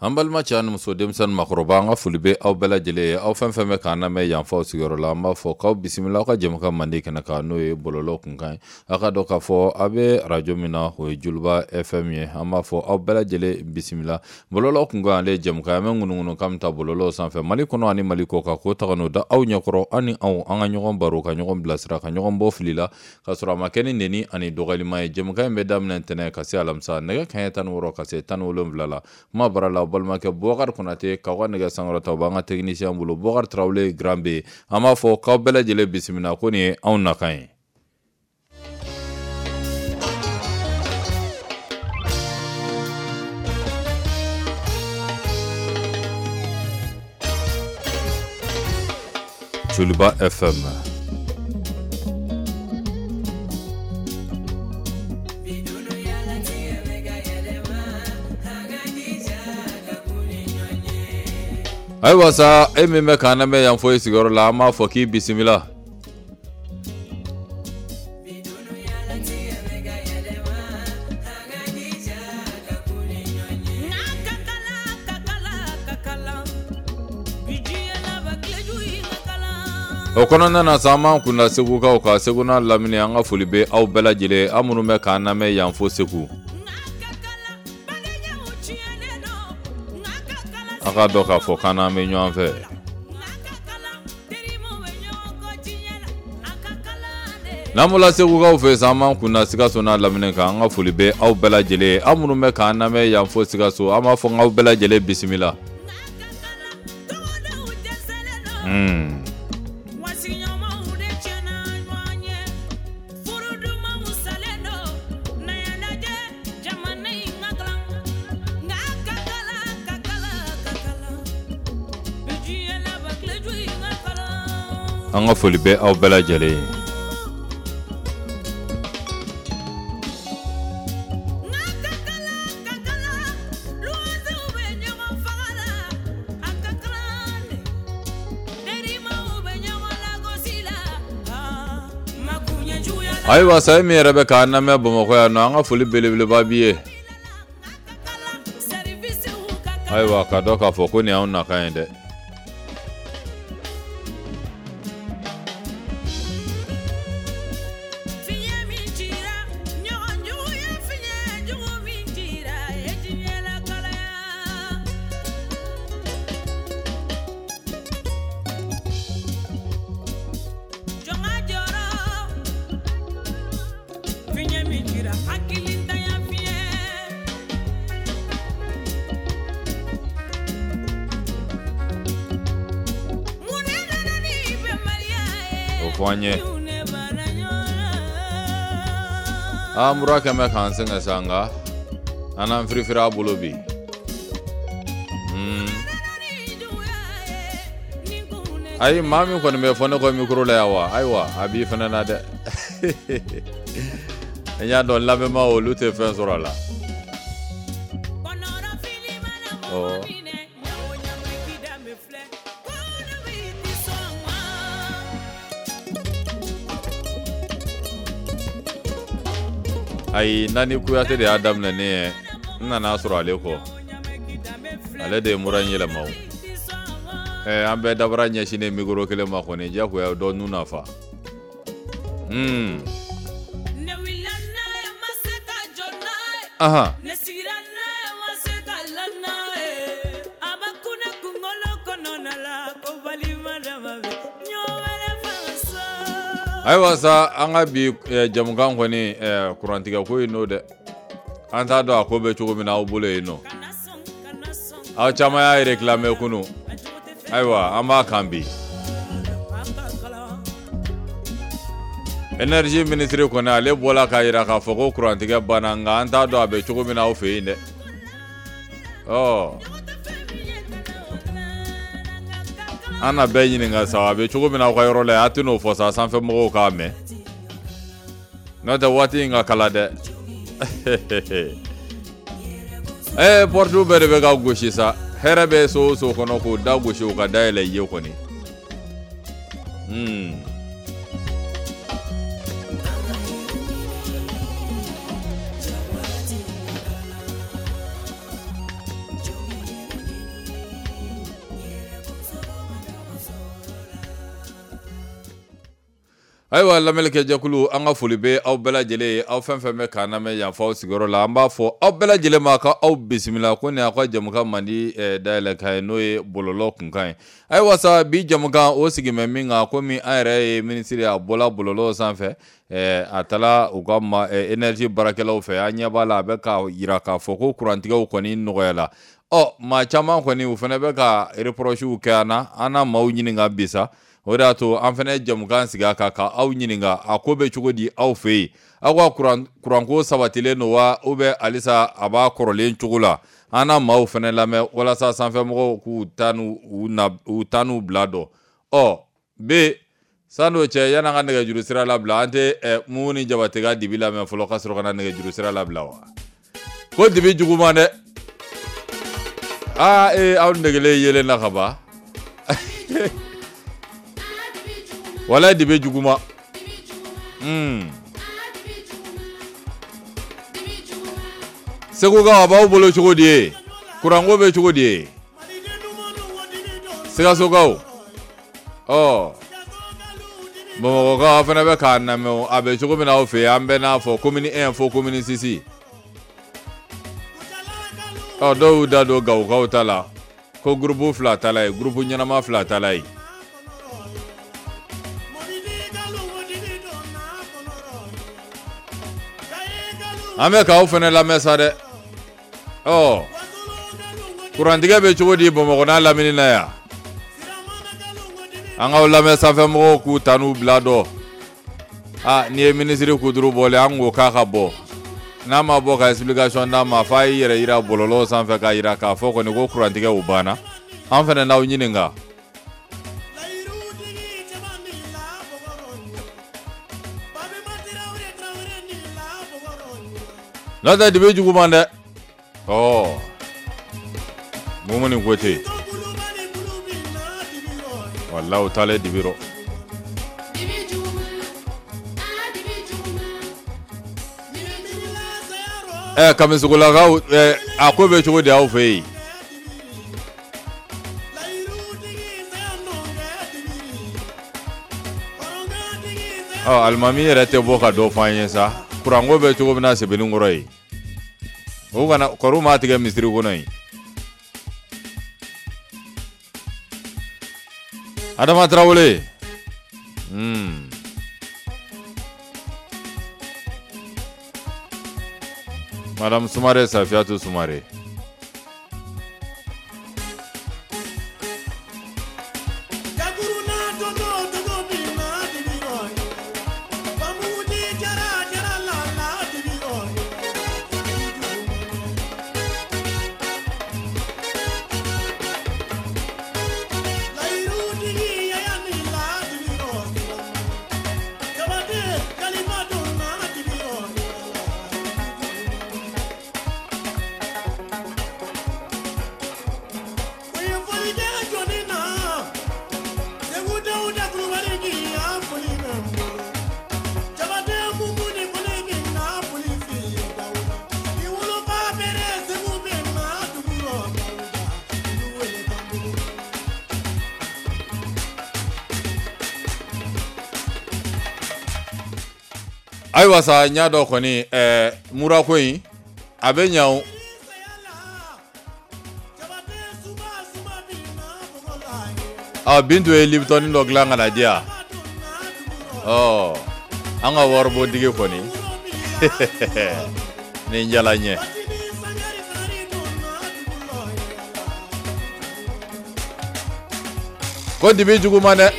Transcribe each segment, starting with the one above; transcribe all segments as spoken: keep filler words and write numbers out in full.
An balima cɛ ani muso, denmisɛnnin, makɔrɔba, an ka foli bɛ aw bɛɛ lajɛlen ye. Aw fɛn fɛn bɛ k'an lamɛn yanfaw sigiyɔrɔ la, an b'a fɔ k'aw bisimila aw ka jɛmukan mandi kɛnɛ kan, n'o ye bɔlɔlɔ kunkan ye. Aw ka dɔn k'a fɔ a bɛ arajo min na, o ye Joliba F M ye. An b'a fɔ aw bɛɛ lajɛlen bisimila. Bɔlɔlɔ kunkan, ale ye jɛmukan ye an bɛ ŋunuŋunu kan min ta bɔlɔlɔ sanfɛ, Mali kɔnɔ ani Mali kɔ kan, k'o ta ka n'o da aw ɲɛkɔrɔ. Aw ni anw, an ka ɲɔgɔn baro, ka ɲɔgɔn bilasira, ka ɲɔgɔn bɔ fili la, ka sɔrɔ a ma kɛ ni neni ani dɔgɔyalima ye. Jɛmukan in bɛ daminɛ ntɛnɛn ka se alamisa, nɛgɛ kanɲɛ tan ni wɔɔrɔ ka se tan ni wolonwula la. Kuma bara la, balimakɛ Bubakari Konate k'aw ka nɛgɛ sankɔrɔta, o b'an ka technicien bolo, Bubakari Tarawele Grand B. An b'a fɔ k'aw bɛɛ lajɛlen bisimila, ko nin ye anw nakan ye. Joliba F M. Ayiwa sa, e min bɛ k'an lamɛn yan fɔ i sigiyɔrɔ la, an b'a fɔ k'i bisimila. O kɔnɔna na sa, an b'an kunda Segukaw kan, Segu n'a lamini. An ka foli bɛ aw bɛɛ lajɛlen, aw minnu bɛ k'an lamɛn yan fo Segu. A k'a dɔn k'a fɔ k'an n'an bɛ ɲɔgɔn fɛ. N'an bɔra Segukaw fɛ sa, an b'an kunda Sikaso n'a lamini kan. An ka foli bɛ aw bɛɛ lajɛlen, aw minnu bɛ k'an lamɛn yan fo Sikaso. An b'a fɔ k'aw bɛɛ lajɛlen bisimila. Hmm. An ka foli bɛ aw bɛɛ lajɛlen ye. Ayiwa sa, e min yɛrɛ bɛ k'an lamɛn Bamakɔ yan nɔ, an ka foli belebeleba b'i ye. Ayiwa, ka dɔn k'a fɔ ko nin y'anw nakan ye dɛ. O fɔ an ye. Aa, mura kɛn bɛ k'an sɛgɛn sa, nka an n'an firifiri a bolo bi. Hmm. Ayi, maa min kɔni bɛ fɔ ne kɔ micro la yan wa, ayiwa, a b'i fɛnɛ na dɛ. N y'a dɔn lamɛnbaa, olu tɛ fɛn sɔrɔ a la. Ɔ, ayi, Nani Kuyate de y'a daminɛ ne ye. N nana sɔrɔ ale kɔ, ale de ye mura in yɛlɛma. O ɛ, an bɛɛ dabara ɲɛsinnen micro kelen ma kɔni, diyagoya dɔ nun na fa. Hmm. Ahan. Ne sigira n'a ye, ma se ka la n'a ye. A bɛ kun ne kunkolo kɔnɔna la ko balima dama bɛ ɲɔgɔn wɛrɛ fana sa. Ayiwa sa, an ka bi eh, jamukan kɔni, eh, kurantigɛ ko in n'o dɛ, an t'a dɔn a ko bɛ cogo min na aw bolo yen nɔ. Kana sɔn, kana sɔn. Aw caman y'a réclamé kunu. A jogo tɛ fɛ. Ayiwa, an b'a kan bi. An ka kalan. Énergie ministre kɔni, ale bɔla k'a yira k'a fɔ ko kurantigɛ banna, nka an t'a dɔn a bɛ cogo min na aw fɛ yen dɛ. Ɔ, Jogo tɛ fɛn min ye, kana o kalan, an ka kalan. An na bɛɛ ɲininka sa, a bɛ cogo min na aw ka yɔrɔ la yen. A tɛn'o fɔ sa, sanfɛ mɔgɔw k'a mɛn, n'o tɛ waati in ka kala dɛ. Ɛɛ, porte bɛɛ de bɛ ka gosi sa. Hɛrɛ bɛ so o so kɔnɔ, k'o da gosi, o ka dayɛlɛ i ye kɔni. Hmm. Ayiwa lamɛnnikɛjɛkulu, an ka foli bɛ aw bɛɛ lajɛlen ye, aw fɛn fɛn bɛ k'an lamɛn yan f'aw sigiyɔrɔ la. An b'a fɔ aw bɛɛ lajɛlen ma ka aw bisimila ko nin y'aw ka jamukan mandi dayɛlɛ kan ye, n'o ye bɔlɔlɔ kunkan ye. Ayiwa sa, bi jamukan o sigi bɛ min kan, komi an yɛrɛ ye minisiri a bɔla bɔlɔlɔ sanfɛ, a taara u ka ma énergie baarakɛlaw fɛ, an ɲɛ b'a la a bɛ k'a yira k'a fɔ ko kurantigɛw kɔni nɔgɔyala. Ɔ maa caman kɔni u fana bɛ ka reprochew kɛ an na, an na maaw ɲininka bi sa. O de y'a to an fana ye jamukan sigi a kan ka aw ɲininka a ko bɛ cogo di aw fɛ yen, aw ka kuran kuranko sabatilen don wa, ou bien halisa a b'a kɔrɔlen cogo la. An na maaw fana lamɛn walasa sanfɛmɔgɔw k'u ta n'u na u ta n'u bila dɔn. Ɔ b san'o cɛ, yan'an ka nɛgɛjuru sira labila, an tɛ ɛ Mumuni Jabate ka dibi lamɛn fɔlɔ ka sɔrɔ ka na nɛgɛjuru sira labila wa? Ko dibi juguman dɛ. Aa ee aw negelen yelen na ka ban. Wala dibi juguma. Hmm. Segukaw, a b'aw bolo cogo di ye? Kuranko bɛ cogo di ye? Sikasokaw. Ɔ Bamakɔkaw, aw fana bɛ k'a lamɛn, a bɛ cogo min na aw fɛ yen, an bɛɛ n'a fɔ commune un fo commune six. Ɔ dɔw y'u da don Gawokaw ta la, ko groupe fila ta la ye, groupe ɲɛnama fila ta la ye. An bɛ k'aw fana lamɛn sa dɛ. Ɔ kurantigɛ bɛ cogo di Bamakɔ n'a lamini na yan? An k'aw lamɛn sanfɛmɔgɔw k'u ta n'u bila dɔn. Aa n'i ye minisiri kuturu bɔlen, an ko k'a ka bɔ. N'a ma bɔ ka explication d'a ma, f'a y'i yɛrɛ yira bɔlɔlɔ sanfɛ k'a yira k'a fɔ kɔni ko kurantigɛw banna. An fana n'aw ɲininka. N'o tɛ dibi juguman dɛ. Ɔ Mumuni ko ten. Walahi u taalen dibi rɔ. Ɛ Kamisogolakaw, ɛ a ko bɛ cogo di aw fɛ yen? Ɔ alimami yɛrɛ tɛ bɔ ka dɔ fɔ an ye sa. Kuranko bɛ cogo min na Sebenikɔrɔ yen. O kana kɔrɔ m'a tigɛ misiri kɔnɔ yen. Adama Tarawele. Hmm. Madame Sumare, Safiatou Sumare. Ayiwa sa, n y'a dɔn kɔni ɛɛ murako in a bɛ ɲa o. Ɔ Bintu ye Lipton dɔ dilan ka na di yan. Ɔ an ka waribɔdigi kɔni nin jala n ye. Ko dibi juguman dɛ.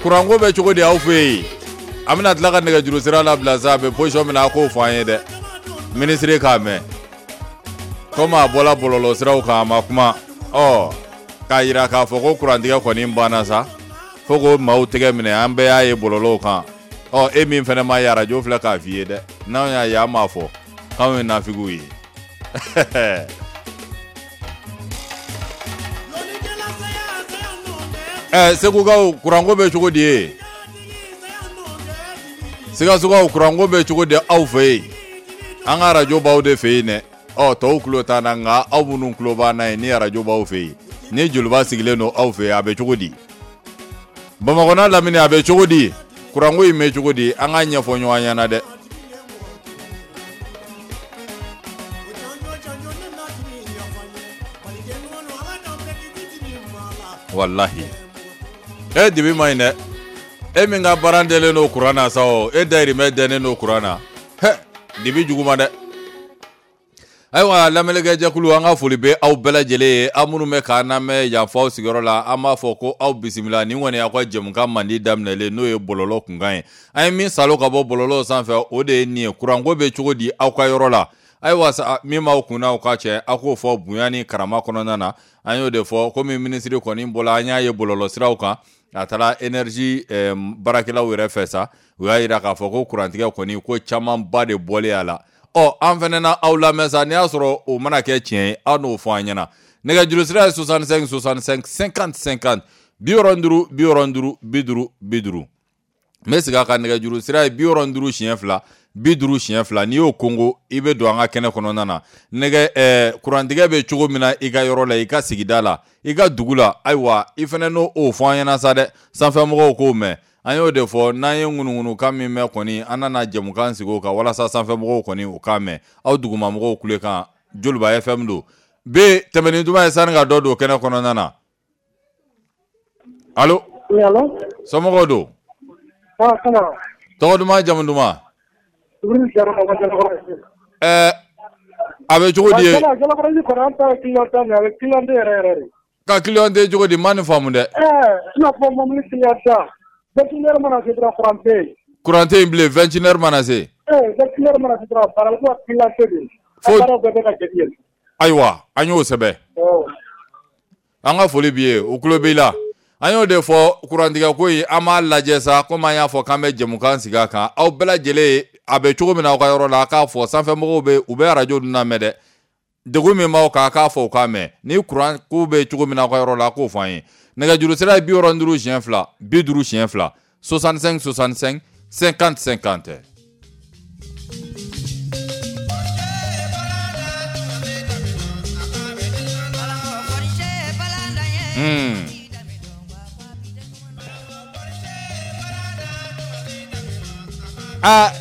Kuranko bɛ cogo di aw fɛ yen? An bɛna tila ka nɛgɛjuru sira labila sa, a bɛ position min na, a k'o fɔ an ye dɛ. Minisiri k'a mɛn. Komi a bɔla bɔlɔlɔ siraw kan, a ma kuma. Ɔ k'a yira k'a fɔ ko kurantigɛ kɔni banna sa, fo k'o maaw tɛgɛ minɛ, an bɛɛ y'a ye bɔlɔlɔw kan. Ɔ e min fana ma ye, arajo filɛ k'a f'i ye dɛ. N'anw y'a ye, an b'a fɔ k'anw ye nafigiw ye. Ɛ Segukaw, kuranko bɛ cogo di ye? Sikasokaw, kuranko bɛ cogo di aw fɛ yen? An ka arajo b'aw de fɛ yen dɛ. Ɔ tɔw tulo t'an na, nka aw minnu tulo b'an na yen, ni arajo b'aw fɛ yen, ni joliba sigilen don aw fɛ yen, a bɛ cogo di? Bamakɔ n'a lamini, a bɛ cogo di? Kuranko in bɛ cogo di, an k'a ɲɛfɔ ɲɔgɔn ɲɛna dɛ. Walahi e dibi ma ɲi dɛ. E min ka baara dɛlen don kuran na sa o, e dayirimɛ dɛnnen don kuran na. Hɛ, dibi jugu ma dɛ. Ayiwa lamɛnnikɛjɛkulu, an ka foli bɛ aw bɛɛ lajɛlen ye. Aw minnu bɛ k'an lamɛn yan fɔ aw sigiyɔrɔ la, an b'a fɔ ko aw bisimila. Nin kɔni y'aw ka jɛmukan mandi daminɛlen, n'o ye bɔlɔlɔ kunkan ye. An ye min salo ka bɔ bɔlɔlɔ sanfɛ, o de ye nin ye. Kuranko bɛ cogo di aw ka yɔrɔ la? Ayiwa sa, min b'aw kunna aw ka cɛ, aw k'o fɔ bonya ni karama kɔnɔna na. An y'o de fɔ, komi minisiri kɔni bɔla, an y'a ye bɔlɔlɔ siraw kan, a taara énergie eh, baarakɛlaw yɛrɛ fɛ sa, u y'a yira k'a fɔ ko kurantigɛ kɔni ko camanba de bɔlen a la. Ɔ, an fɛnɛ na aw lamɛn sa, n'i y'a sɔrɔ o mana kɛ tiɲɛ ye, aw n'o fɔ an ɲɛna. Nɛgɛjuru sira ye soixante-cinq soixante-cinq cinquante cinquante, bi wɔɔrɔ ni duuru bi wɔɔrɔ ni duuru bi duuru bi duuru. N bɛ segin a kan, nɛgɛjuru sira ye bi wɔɔrɔ ni duuru siɲɛ fila bi duuru siɲɛ fila. N'i y'o kongo, i bɛ don an ka kɛnɛ kɔnɔna na. Nɛgɛ ɛɛ kurantigɛ bɛ cogo min na i ka yɔrɔ la, i ka sigida la, i ka dugu la, ayiwa i fɛnɛ n'o o fɔ an ɲɛna sa dɛ, sanfɛmɔgɔw k'o mɛn. An y'o de fɔ, n'an ye ŋunuŋunukan min mɛn kɔni, an nana jɛmukan sigi o kan walasa sanfɛmɔgɔw kɔni u k'a mɛn. Aw dugumamɔgɔw kulekan, Joliba F M don. B tɛmɛni duman ye sani ka dɔ don kɛnɛ kɔnɔna na. Allo? Oui, allo? Somɔgɔw don? Ah, comment? Tɔgɔ duman, jamu duman? Ɛɛ, a bɛ cogo di ye? Jalakɔrɔji kɔni, an ta ye client ta mais a bɛ client yɛrɛ yɛrɛ de. Ka client tɛ cogo di, n ma nin faamu dɛ. Ɛɛ, i n'a fɔ mobili client ta, vingt et une heures mana se dɔrɔn kuran tɛ yen. Kuran tɛ yen bilen, vingt et une heures mana se. Ɛɛ, vingt et une heures mana se dɔrɔn, baara ko client tɛ de. Fo baaraw bɛɛ bɛ ka jɛ yen. Ayiwa, an y'o sɛbɛn. An ka foli b'i ye, o tulo b'i la. An y'o de fɔ, kurantigɛ ko in, an b'a lajɛ sa, komi an y'a fɔ k'an bɛ jɛmukan sigi a kan. Aw bɛɛ lajɛlen, a bɛ cogo min na aw ka yɔrɔ la, a k'a fɔ. Sanfɛmɔgɔw bɛ, u bɛ arajo ninnu lamɛn dɛ. Degun min b'aw kan, a k'a fɔ u k'a mɛn. Ni kuran ko bɛ cogo min na aw ka yɔrɔ la, a k'o fɔ an ye. Nɛgɛjuru sira ye bi wɔɔrɔ ni duuru siɲɛ fila bi duuru siɲɛ fila, soixante-cinq soixante-cinq cinquante cinquante. Hmm. Aa,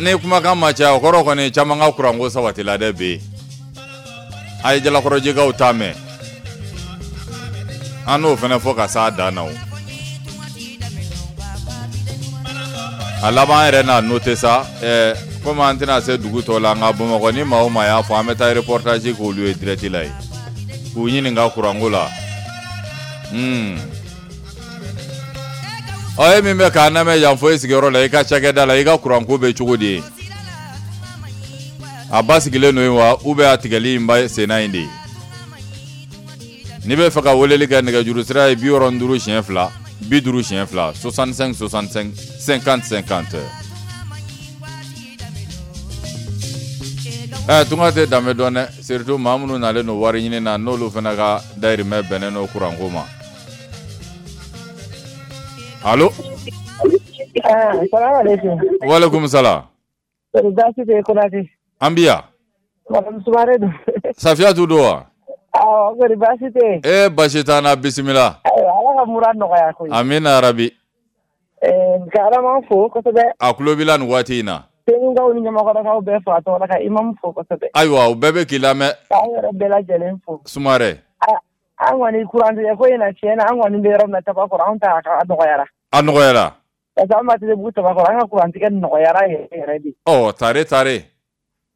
ne kumakan ma caya, o kɔrɔ kɔni caman ka kuranko sabatila dɛ bi. A ye Jalakɔrɔjikaw ta mɛn, an n'o fana fɔ ka s'a dan na o. A laban yɛrɛ n'a noté sa, ɛɛ komi an tɛna se dugu tɔw la, nka Bamakɔ ni maa o maa y'a fɔ, an bɛ taa reportage k'olu ye direct la yen, k'u ɲininka kuranko la. Hmm. Ɔ, e min bɛ k'an lamɛn yan fo e sigiyɔrɔ la, i ka cakɛda la, i ka kuranko bɛ cogo di ye? A basigilen don yen wa, ou bien a tigɛli in ba senna in de ye? N'i bɛ fɛ ka weleli kɛ, nɛgɛjuru sira ye bi wɔɔrɔ ni duuru siɲɛ fila bi duuru siɲɛ fila, soixante-cinq soixante-cinq cinquante cinquante. Ɛ, tunga tɛ danbe dɔn dɛ, surtout maa minnu nalen don wari ɲini na, n'olu fana ka dayirimɛ bɛnnen don kuranko ma. Allo? Ah, salamu alaikum. Walaikum salam. Baasi tɛ Konate. An bi yan. Madame Sumare don. Safiyatu don wa? Awɔ, kɔri baasi tɛ yen? E baasi t'an na, bisimila. Ayiwa, Ala ka mura nɔgɔya koyi. Amina rabi. Ɛɛ, ka Adama fo kosɛbɛ. A tulo b'i la nin waati in na. Segukaw ni Ɲamakɔrɔkaw bɛɛ fo a tɔgɔ la, ka imam fo kosɛbɛ. Ayiwa, u bɛɛ bɛ k'i lamɛn. K'an yɛrɛ bɛɛ lajɛlen fo. Sumare. An kɔni kurantigɛ ko in na, tiɲɛ na, an kɔni bɛ yɔrɔ min na Tabakɔrɔ, anw ta a nɔgɔyara. A nɔgɔyara. Parce que an b'a Bugu Tabakɔrɔ, an ka kurantigɛ nɔgɔyara yɛrɛ yɛrɛ de. Ɔ, tare tare.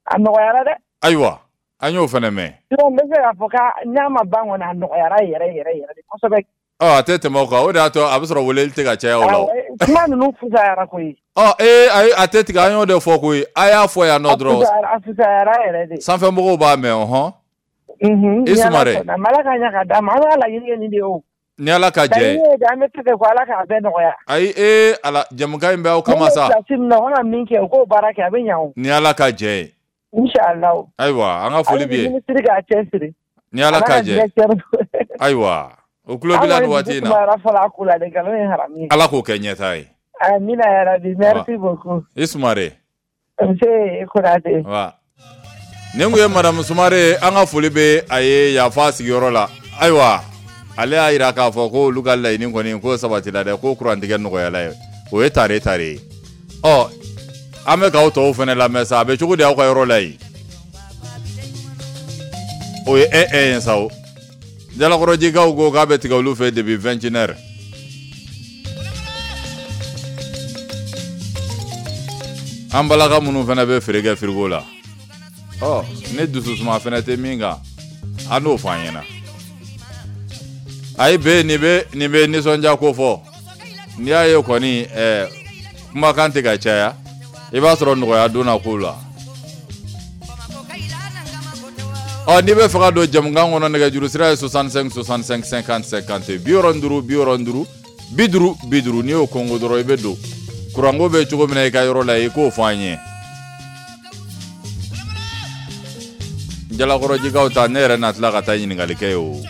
A nɔgɔyara dɛ. Ayiwa, an y'o fana mɛn. Sinon n bɛ se k'a fɔ k'a n'a ma ban kɔni, a nɔgɔyara yɛrɛ yɛrɛ yɛrɛ de kosɛbɛ. Ɔ, a tɛ tɛmɛ o kan, o de y'a to a bɛ sɔrɔ weleli tɛ ka caya o la. Kuma ninnu fusayara koyi. Ɔ, ee, ayi, a tɛ tigɛ, an y'o de fɔ koyi. A y'a fɔ yan nɔ dɔrɔn. A fusayara yɛrɛ de. Sanfɛmɔgɔw b'a mɛn, ɔhɔn. Unhun. I Sumare. Ala ka ɲa ka d'a ma, an ka laɲini ye nin de ye o. Ni Ala ka jɛ ye. Laɲini ye de, an bɛ fɛ ko Ala k'a bɛɛ nɔgɔya. Ayi, ee Ala, jɛmukan in bɛ aw kama sa. Mun bɛ place min na, u kana min kɛ, u k'o baara kɛ, a bɛ ɲa o. Ni Ala ka jɛ ye. Inchallah. Ayiwa, an ka foli b'i ye. Minisiri k'a cɛsiri. Ni Ala ka jɛ. Ayiwa, o tulo b'i la nin waati in na. Ala k'o kɛ ɲɛtaa ye. Amina yarabi, merci beaucoup. I Sumare. Nse Konate. Wa. Nin kun ye Madame Sumare, an ka foli bɛ a ye yafa sigiyɔrɔ la. Ayiwa, ale y'a yira k'a fɔ ko olu ka laɲini kɔni ko sabatila dɛ, ko kurantigɛ nɔgɔyala ye. O ye tare tare ye. Ɔ an bɛ k'aw tɔw fana lamɛn sa, a bɛ cogo di aw ka yɔrɔ la yen? O ye un un ye sa o. Jalakɔrɔjikaw ko k'a bɛ tigɛ olu fɛ depuis vingt et une heures. An balaka minnu fana bɛ feere kɛ frigo la, ɔ ne dususuma fana tɛ min kan, an n'o fɔ an ɲɛna. Ayi bɛ nin bɛ nin bɛ nisɔndiya ko fɔ. N'i y'a ye kɔni ɛɛ kumakan tɛ ka caya, i b'a sɔrɔ nɔgɔya donna kow la. Ɔ n'i bɛ fɛ ka don jamukan kɔnɔ, nɛgɛjuru sira ye soixante-cinq soixante-cinq cinquante cinquante, bi wɔɔrɔ ni duuru bi wɔɔrɔ ni duuru bi duuru bi duuru. N'i y'o kɔngo dɔrɔn i bɛ don. Kuranko bɛ cogo min na i ka yɔrɔ la, i k'o fɔ an ye. Jalakɔrɔjikaw ta, ne yɛrɛ na tila ka taa ɲininkali kɛ ye o.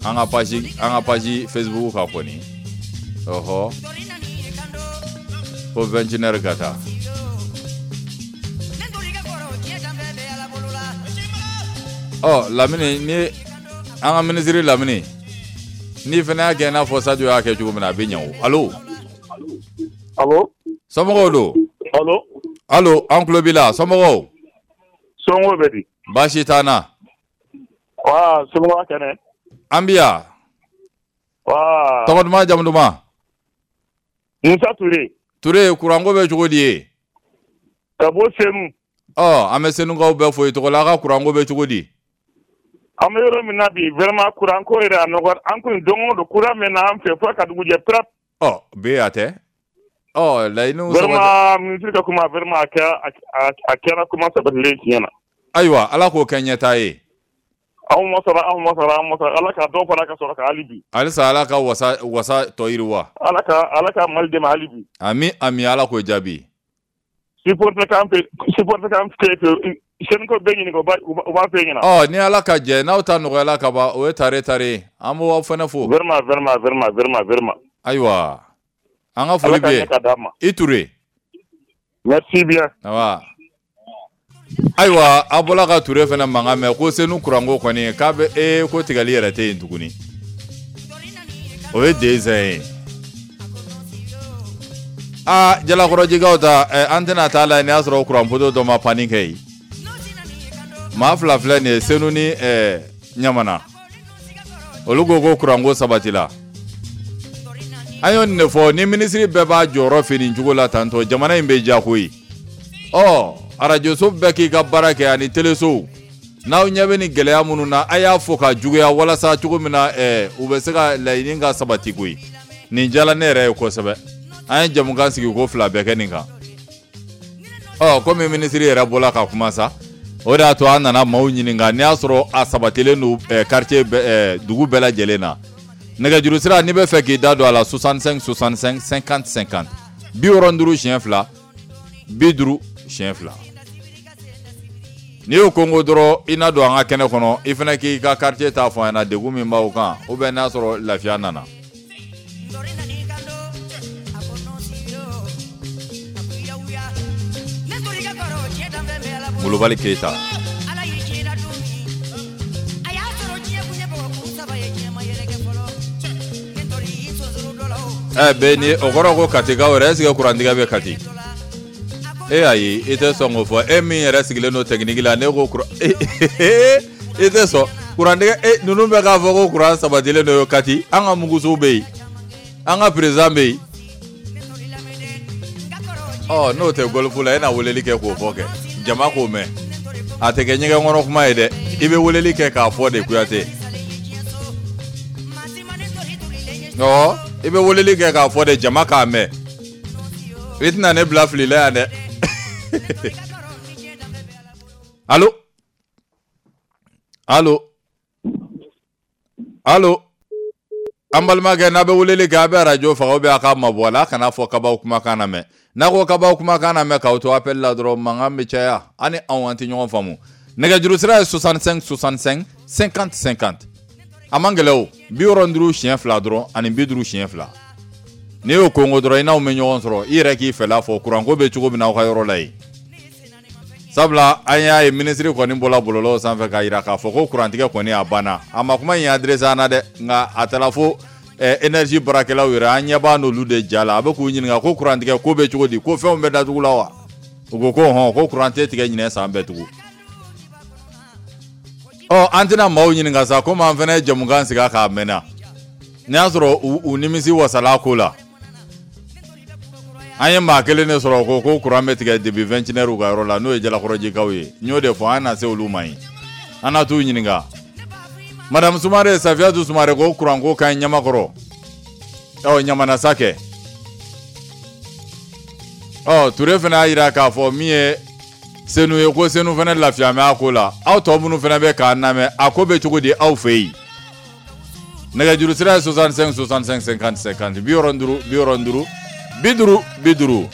An ka page an ka page Facebook kan kɔni. Ɔhɔ. Ko vingt et une heures ka taa. Ɔ Lamini, ni an ka minisiri Lamini, n'i fana y'a kɛ i n'a fɔ Sadio y'a kɛ cogo min na, a bɛ ɲɛ o. Allo. Allo. Somɔgɔw don? Allo. Allo, an tulo b'i la, somɔgɔw? Somɔgɔw bɛ di? Baasi t'an na. Wa somɔgɔw kɛnɛ? An bi yan. Wa. Tɔgɔ duman, jamu duman? Musa Ture. Ture, kuranko bɛ cogo di ye? Ka bɔ Senu. Ɔ an bɛ Senukaw bɛɛ fo i tɔgɔ la, a ka kuranko bɛ cogo di? An bɛ yɔrɔ min na bi, vraiment kuranko yɛrɛ a nɔgɔra. An kun don o don kuran bɛ na an fɛ fo ka dugu jɛ prap. Ɔ be a tɛ. Ɔ laɲiniw sabati. Vraiment minisiri ka kuma, vraiment a kɛra a kɛra kuma sabatilen tiɲɛ na. Ayiwa, Ala k'o kɛ ɲɛtaa ye. Anw ma sɔrɔ, anw ma sɔrɔ, anw ma sɔrɔ. Ala ka dɔ fara ka sɔrɔ ka hali bi. Halisa Ala ka wasa wasa tɔ yiriwa. Ala ka Ala ka Mali dɛmɛ hali bi. Ami ami, Ala k'o jaabi. Supporter k'an fɛ, supporter k'an fɛ, Senukaw bɛɛ ɲininka, u b'a fɛ ɲɛna. Ɔ ni Ala ka jɛ, n'aw ta nɔgɔyala ka ban, o ye tare tare, an b'aw fana fo. Vraiment vraiment vraiment vraiment vraiment. Ayiwa, an ka foli bɛ yen. I Ture. Merci bien. Awa. Ayiwa, a bɔla ka Ture fana mankan mɛn ko Senu kuranko kɔni k'a bɛ ee ko tigɛli yɛrɛ tɛ yen tuguni. O ye dɛsɛ ye. Aa Jalakɔrɔjikaw ta, an tɛna taa la n'i y'a sɔrɔ kuranpoto dɔ ma panni kɛ yen. Maa fila filɛ nin ye, Senu ni ɛɛ Ɲamana. Olu ko ko kuranko sabatila. An y'o nin de fɔ, ni minisiri bɛɛ b'a jɔyɔrɔ fɛ nin cogo la tantɔ, jamana in bɛ diya koyi. Ɔ arajoso bɛɛ k'i ka baara kɛ ani telesow. N'aw ɲɛ bɛ nin gɛlɛya minnu na, a y'a fɔ ka juguya walasa cogo min na ɛɛ u bɛ se ka laɲini ka sabati koyi. Nin diyara ne yɛrɛ ye kosɛbɛ. An ye jamukan sigi ko fila bɛɛ kɛ nin kan. Ɔ komi minisiri yɛrɛ bɔla ka kuma sa, o de y'a to an nana maaw ɲininka n'i y'a sɔrɔ a sabatilen don quartier bɛɛ, dugu bɛɛ lajɛlen na. Nɛgɛjuru sira, n'i bɛ fɛ k'i da don a la, soixante-cinq soixante-cinq cinquante cinquante, bi wɔɔrɔ ni duuru siɲɛ fila, bi duuru siɲɛ fila. N'i y'o kongo dɔrɔn, i na don an ka kɛnɛ kɔnɔ, i fana k'i ka quartier ta fɔ an ɲɛna, degun min b'aw kan, ou bien n'a sɔrɔ lafiya nana. Molobali Keyita. Ɛ bɛɛ ni o kɔrɔ ko Katikaw yɛrɛ, est ce que kurantigɛ bɛ Kati? E ayi, i tɛ sɔn k'o fɔ. E min yɛrɛ sigilen don technique la, ne ko kuran i tɛ sɔn kurantigɛ. E ninnu bɛ k'a fɔ ko kuran sabatilen don Kati. An ka mugusow bɛ yen, an ka président bɛ yen. Ɔ n'o tɛ golf la, e na weleli kɛ k'o fɔ kɛ jama k'o mɛn. A tɛ kɛ ɲɛgɛn kɔnɔ kuma ye dɛ, i bɛ weleli kɛ k'a fɔ de Kuyate. Ɔ i bɛ weleli kɛ k'a fɔ de jama k'a mɛn. I tɛna ne bila fili la yan dɛ. Allo allo allo, an balimakɛ, n'a bɛ weleli kɛ, a bɛ arajo faga ou bien a k'a mabɔ a la, a kana fɔ kabaw kumakan na mɛn. N'a ko kabaw kumakan na mɛn k'aw to appel la dɔrɔn, mankan bɛ caya, an ni anw an tɛ ɲɔgɔn faamu. Nɛgɛjuru sira ye soixante-cinq soixante-cinq cinquante cinquante. A man gɛlɛn o, bi wɔɔrɔ ni duuru siɲɛ fila dɔrɔn ani bi duuru siɲɛ fila. N'i y'o kongo dɔrɔn, i n'anw bɛ ɲɔgɔn sɔrɔ, i yɛrɛ k'i fɛla fɔ kuranko bɛ cogo min na aw ka yɔrɔ la yen. Sabula an y'a ye minisiri kɔni bɔla bɔlɔlɔw sanfɛ k'a jira k'a fɔ ko kurantigɛ kɔni a banna. A ma kuma in adressé an na dɛ, nka a taara fo énergie baarakɛlaw yɛrɛ, an ɲɛ b'a n'olu de ja la. A bɛ k'u ɲininka ko kurantigɛ ko bɛ cogo di, ko fɛnw bɛ datugu la wa? U ko ko hɔn, ko kuran tɛ tigɛ ɲinɛ san bɛɛ tugun. Ɔ an tɛna maaw ɲininka sa, komi an fana ye jamukan sigi k'a mɛnna. N'i y'a sɔrɔ u, u nimisi wasala ko la. An ye maa kelen de sɔrɔ ko ko kuran bɛ tigɛ depuis vingt et une heures u ka yɔrɔ la, n'o ye Jalakɔrɔjikaw ye. N y'o de fɔ, an na se olu ma yen. An na t'u ɲininka. Madame Sumare, Safiyatu Sumare ko kuranko ka ɲi Ɲamakɔrɔ. Ɔ Ɲamana sa kɛ. Ɔ Ture fana y'a jira k'a fɔ min ye Senu ye, ko Senu fana lafiya bɛ a ko la. Aw tɔ minnu fana bɛ k'a lamɛn, a ko bɛ cogo di aw fɛ yen? Nɛgɛjuru sira ye soixante-cinq soixante-cinq cinquante cinquante, bi wɔɔrɔ ni duuru bi wɔɔrɔ ni duuru bi duuru bi duuru.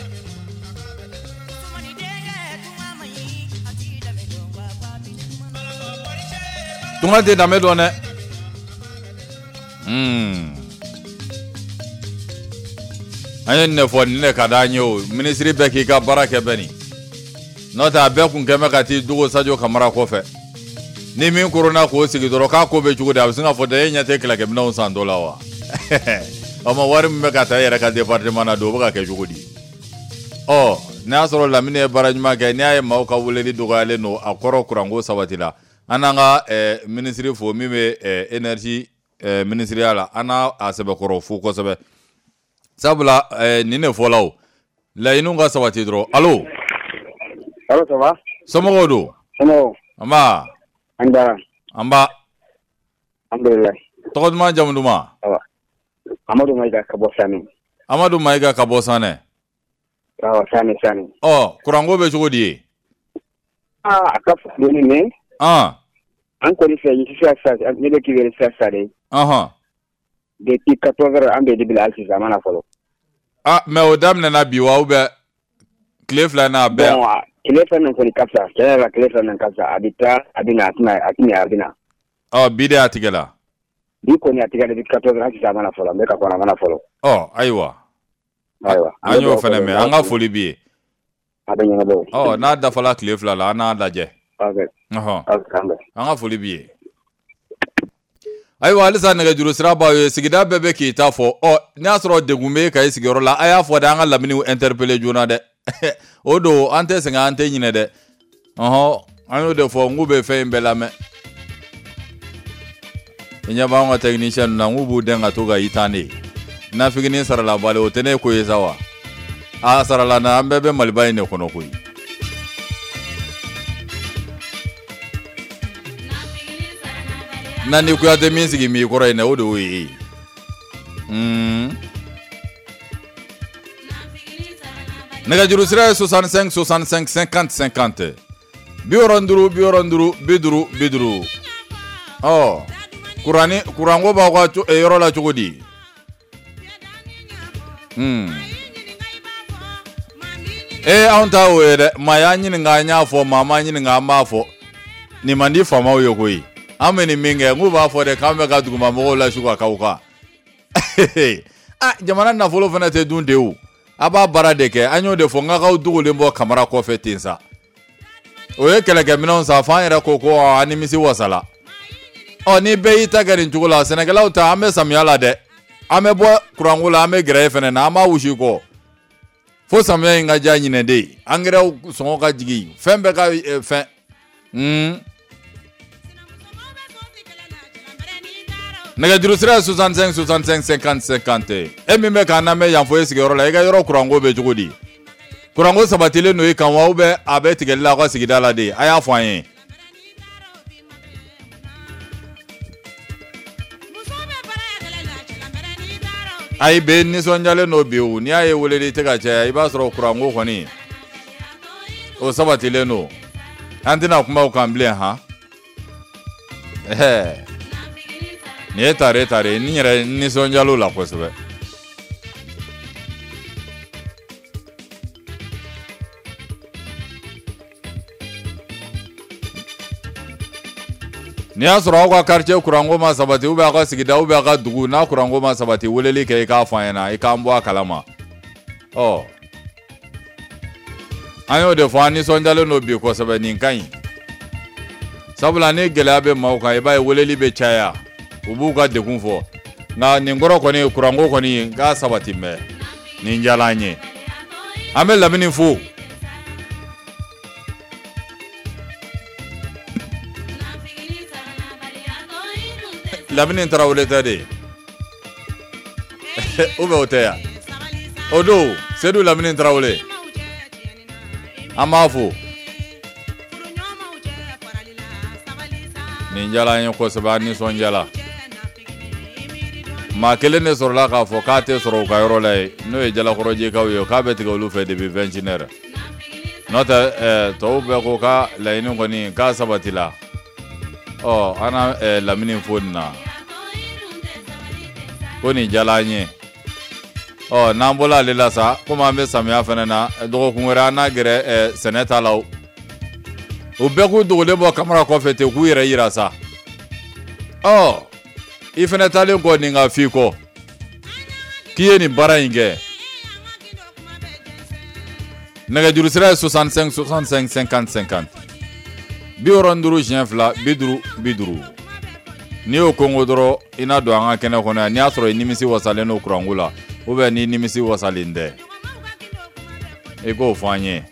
Tunga tɛ danbe dɔn dɛ. Hmm. An ye nin de fɔ, nin de ka d'an ye o. Minisiri bɛɛ k'i ka baara kɛ bɛɛ nin. N'o tɛ a bɛɛ kun kɛn bɛ ka t'i dogo Sadio Kamara kɔfɛ. Ni min koronna k'o sigi dɔrɔn k'a ko bɛ cogo di, a bɛ sin k'a fɔ dɛ, e ɲɛ tɛ kɛlɛkɛminɛnw san dɔ la wa? O ma wari min bɛ ka taa e yɛrɛ ka département na don, o bɛ ka kɛ cogo di? Ɔ n'a y'a sɔrɔ Lamini ye baara ɲuman kɛ, n'i y'a ye maaw ka weleli dɔgɔyalen don, a kɔrɔ kuranko sabati la. An n'an ka eh, minisiri fo min bɛ eh, énergie eh, minisiriya la, an n'a a sɛbɛkɔrɔ fo kosɛbɛ. Sabula eh, nin de fɔla o, laɲiniw ka sabati dɔrɔn. Allo? Allo, ça va? Somɔgɔw don? Somɔgɔw? Nba. An bara. Nba. Alhamdulilayi. Tɔgɔ duman, jamu duman? Awa. Amadu Mayiga ka bɔ Sanɛ. Amadu Mayiga ka bɔ Sanɛ. Awɔ, Sanɛ, Sanɛ. Ɔ, kuranko bɛ cogo di ye? Aa, a ka fisa dɔɔni mais. An. An kɔni fɛ sisan sisan, ne bɛ k'i wele sisan sisan de. Ɔhɔn. Depuis quatorze heures an bɛ dibi la hali sisan a ma na fɔlɔ. Ah, mais o daminɛna bi wa ou bien tile fila in na a bɛɛ? Bon, tile fila in kɔni ka fisa, tiɲɛ yɛrɛ la tile fila in ka fisa, a bɛ taa a bɛ na, a tɛna a tɛna a bɛ na. Ɔ bi de a tigɛ la. Bi kɔni a tigɛ depuis quatorze heures hali sisan a ma na fɔlɔ, n bɛ ka kɔnɔ a ma na fɔlɔ. Ɔ ayiwa. Ayiwa. An y'o fana mɛn, an ka foli b'i ye. A bɛ ɲɛnabɔ. Ɔ n'a dafala tile fila la, an n'a lajɛ. Ok. Ɔhɔn. Ok, an ka foli b'i ye. Ayiwa halisa nɛgɛjuru sira b'aw ye, sigida bɛɛ bɛ k'i ta fɔ. Ɔ n'a y'a sɔrɔ degun bɛ ka i sigiyɔrɔ la, a y'a fɔ dɛ, an ka laminiw interpeller joona dɛ. O don an tɛ sɛgɛn, an tɛ ɲinɛ dɛ. Ɔhɔn, an y'o de fɔ, n k'u bɛ fɛn in bɛɛ lamɛn. I ɲɛ b'anw ka technicien ninnu na, n k'u b'u dɛn ka to ka i tan de. Nafiginin sarala bali, o tɛ ne ko ye sa wa? A sarala na, an bɛɛ bɛ Maliba in de kɔnɔ koyi. Na ni Kuyate min sigi m'i kɔrɔ yen dɛ, o de y'o ye. Mm. Nɛgɛjuru sira ye soixante-cinq soixante-cinq cinquante cinquante. Bi wɔɔrɔ ni duuru bi wɔɔrɔ ni duuru bi duuru bi duuru. Ɔ kuranni kuranko b'aw ka yɔrɔ la cogo di? Hmm. Ee anw ta o ye dɛ, maa y'an ɲininka an y'a fɔ, maa m'an ɲininka an b'a fɔ. Nin man di faamaw ye koyi. An bɛ nin min kɛ, n k'u b'a fɔ dɛ k'an bɛ ka dugumamɔgɔw lasu ka k'aw kan. Ah, jamana nafolo fana tɛ dun de o. A b'a baara de kɛ, an y'o de fɔ, n k'aw dogolen bɔ Kamara kɔfɛ ten sa. O ye kɛlɛkɛminɛnw san, f'an yɛrɛ ko ko an nimisi wasala. Ɔ ni bɛɛ y'i ta kɛ nin cogo la, sɛnɛkɛlaw ta, an bɛ samiya la dɛ. An bɛ bɔ kuranko la, an bɛ gɛrɛ e fana na, an b'a wusi kɔ. Fo samiya in ka diya ɲinɛ de. Angɛrɛw sɔngɔ ka jigin, fɛn bɛɛ ka fɛn. Hmm. Nɛgɛjuru sira ye soixante-cinq soixante-cinq cinquante cinquante. E min bɛ k'an lamɛn yan fo e sigiyɔrɔ la, i ka yɔrɔ kuranko bɛ cogo di? Kuranko sabatilen don i kan wa, ou bien a bɛ tigɛli la aw ka sigida la de? A y'a fɔ an ye. Ayi bɛ nisɔndiyalen don bi o, n'i y'a ye weleli tɛ ka caya, i b'a sɔrɔ kuranko kɔni o sabatilen don. An tɛna kuma o kan bilen han. Ɛɛ. Nin ye tare tare, ni yɛrɛ nisɔndiyal'o la kosɛbɛ. N'i y'a sɔrɔ aw ka quartier kuranko ma sabati, ou bien aw ka sigida, ou bien aw ka dugu n'a kuranko ma sabati, weleli kɛ i k'a fɔ an ɲɛna, i k'an bɔ a kalama. Ɔ an y'o de fɔ, an nisɔndiyalen don bi kosɛbɛ, nin ka ɲi. Sabula ni gɛlɛya bɛ maaw kan, i b'a ye weleli bɛ caya. U b'u ka degun fɔ. Nka nin kɔrɔ kɔni kuranko kɔni k'a sabati mɛ nin diyara an ye. An bɛ lamini fo. Lamini Tarawele tɛ de ou bien o tɛ yan o don Sedu Lamini Tarawele an b'a fo. Nin diyara an ye kosɛbɛ, an nisɔndiyara. Maa kelen de sɔrɔla k'a fɔ k'a tɛ sɔrɔ u ka yɔrɔ la yen, n'o ye Jalakɔrɔjɛkaw ye, k'a bɛ tigɛ olu fɛ depuis vingt et une heures. N'o tɛ ɛɛ tɔw bɛɛ ko k'a laɲini kɔni k'a sabatila. Ɔ an na ɛɛ lamini fo nin na ko nin diyara an ye. Ɔ n'an bɔla ale la sa, komi an bɛ samiya fana na, dɔgɔkun wɛrɛ an n'a gɛrɛ ɛɛ sɛnɛ ta la o. U bɛɛ k'u dogolen bɔ kamara kɔfɛ ten k'u yɛrɛ yira sa. Ɔ i fana taalen kɔ nin ka f'i kɔ k'i ye nin baara in kɛ. Nɛgɛjuru sira ye soixante-cinq soixante-cinq cinquante cinquante. Bi wɔɔrɔ ni duuru siɲɛ fila bi duuru bi duuru. N'i y'o kongo dɔrɔn i n'a don an ka kɛnɛ kɔnɔ yan, n'i y'a sɔrɔ i nimisi wasalen don kuranko la ou bien n'i nimisi wasalen tɛ, i k'o fɔ an ye.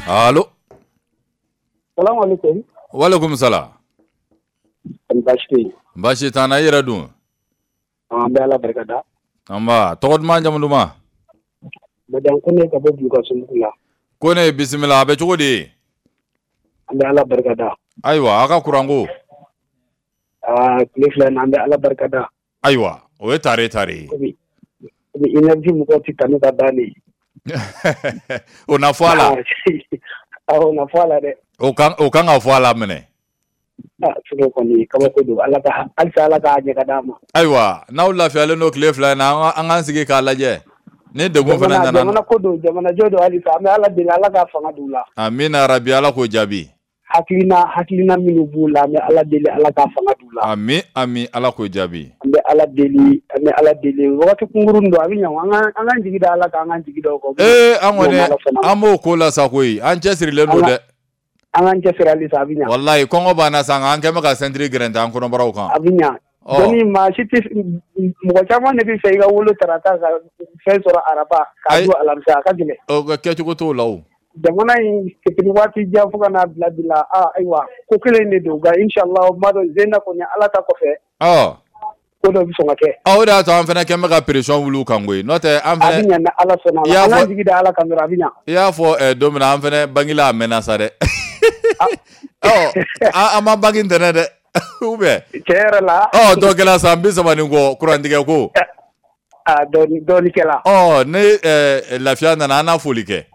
Allo. Salamu alaikum. Walaikum salam. Baasi tɛ yen. Baasi t'an na, i yɛrɛ dun? An bɛ Ala barika da. Nba, tɔgɔ duman jamu duman? Madame Kone ka bɔ Bulukasunbugu la. Kone, bisimila, a bɛ cogo di? An bɛ Ala barika da. Ayiwa, a ka kuranko. Aa, tile fila in na an bɛ Ala barika da. Ayiwa, o ye tare tare ye. Komi komi énergie mɔgɔw tɛ tanu ka ban de. O na fɔ a la. Awɔ, o na fɔ a la dɛ. O kan o kan ka fɔ a la minɛ. Ah, sinon kɔni kabako don, Ala ka halisa Ala k'a ɲɛ ka d'an ma. Ayiwa, n'aw lafiyalen don tile fila in na, an k'an sigi k'a lajɛ. Ni degun fana nana. Jamana ko don, jamana jɔ don halisa, an bɛ Ala deli Ala k'a fanga d'u la. Amina rabi, Ala k'o jaabi. Hakilina hakilina minnu b'u la, an bɛ Ala deli Ala k'a fanga d'u la. Ami ami, Ala k'o jaabi. An bɛ Ala deli, an bɛ Ala deli wagati kunkurun don, a bɛ ɲɛ, an k'an an k'an jigi da Ala kan, an k'an jigi da o kan. Ee, an kɔni an b'o ko la sa koyi, an cɛsirilen don dɛ. An k'an cɛsiri halisa, a bɛ ɲɛ. Walayi, kɔngɔ b'an na sa, nka an kɛn bɛ ka sɛntiri gɛrɛntɛ an kɔnɔbaraw kan. A bɛ ɲɛ. Dɔnni maa si tɛ, mɔgɔ caman de bɛ fɛ i ka wolo tarata ka fɛn sɔrɔ araba k'a don alamisa, a ka gɛlɛn. O kɛcogo t'o la o. Jamana in depuis waati jan fo ka n'a bila bi la, aa ayiwa ko kelen de don, nka inshallah n b'a dɔn Zena kɔni Ala ta kɔfɛ. Ɔ. Ko dɔ bɛ sɔn ka kɛ. Ɔ, o de y'a to an fana kɛn bɛ ka pression wuli u kan koyi, n'o tɛ an fana. A bɛ ɲɛ ni Ala sɔnna a ma, an k'an jigi da Ala kan dɔrɔn, a bɛ ɲɛ. I y'a fɔ don min na an fana bangela a mɛnna sa dɛ. Ɔ, an ma bange ntɛnɛn dɛ. Ou bien. Tiɲɛ yɛrɛ la. Ɔ, dɔ kɛla san bi saba ni kɔ kurantigɛ ko. A dɔɔni dɔɔni kɛla. Ɔ, ni lafiya nana an n'a foli kɛ.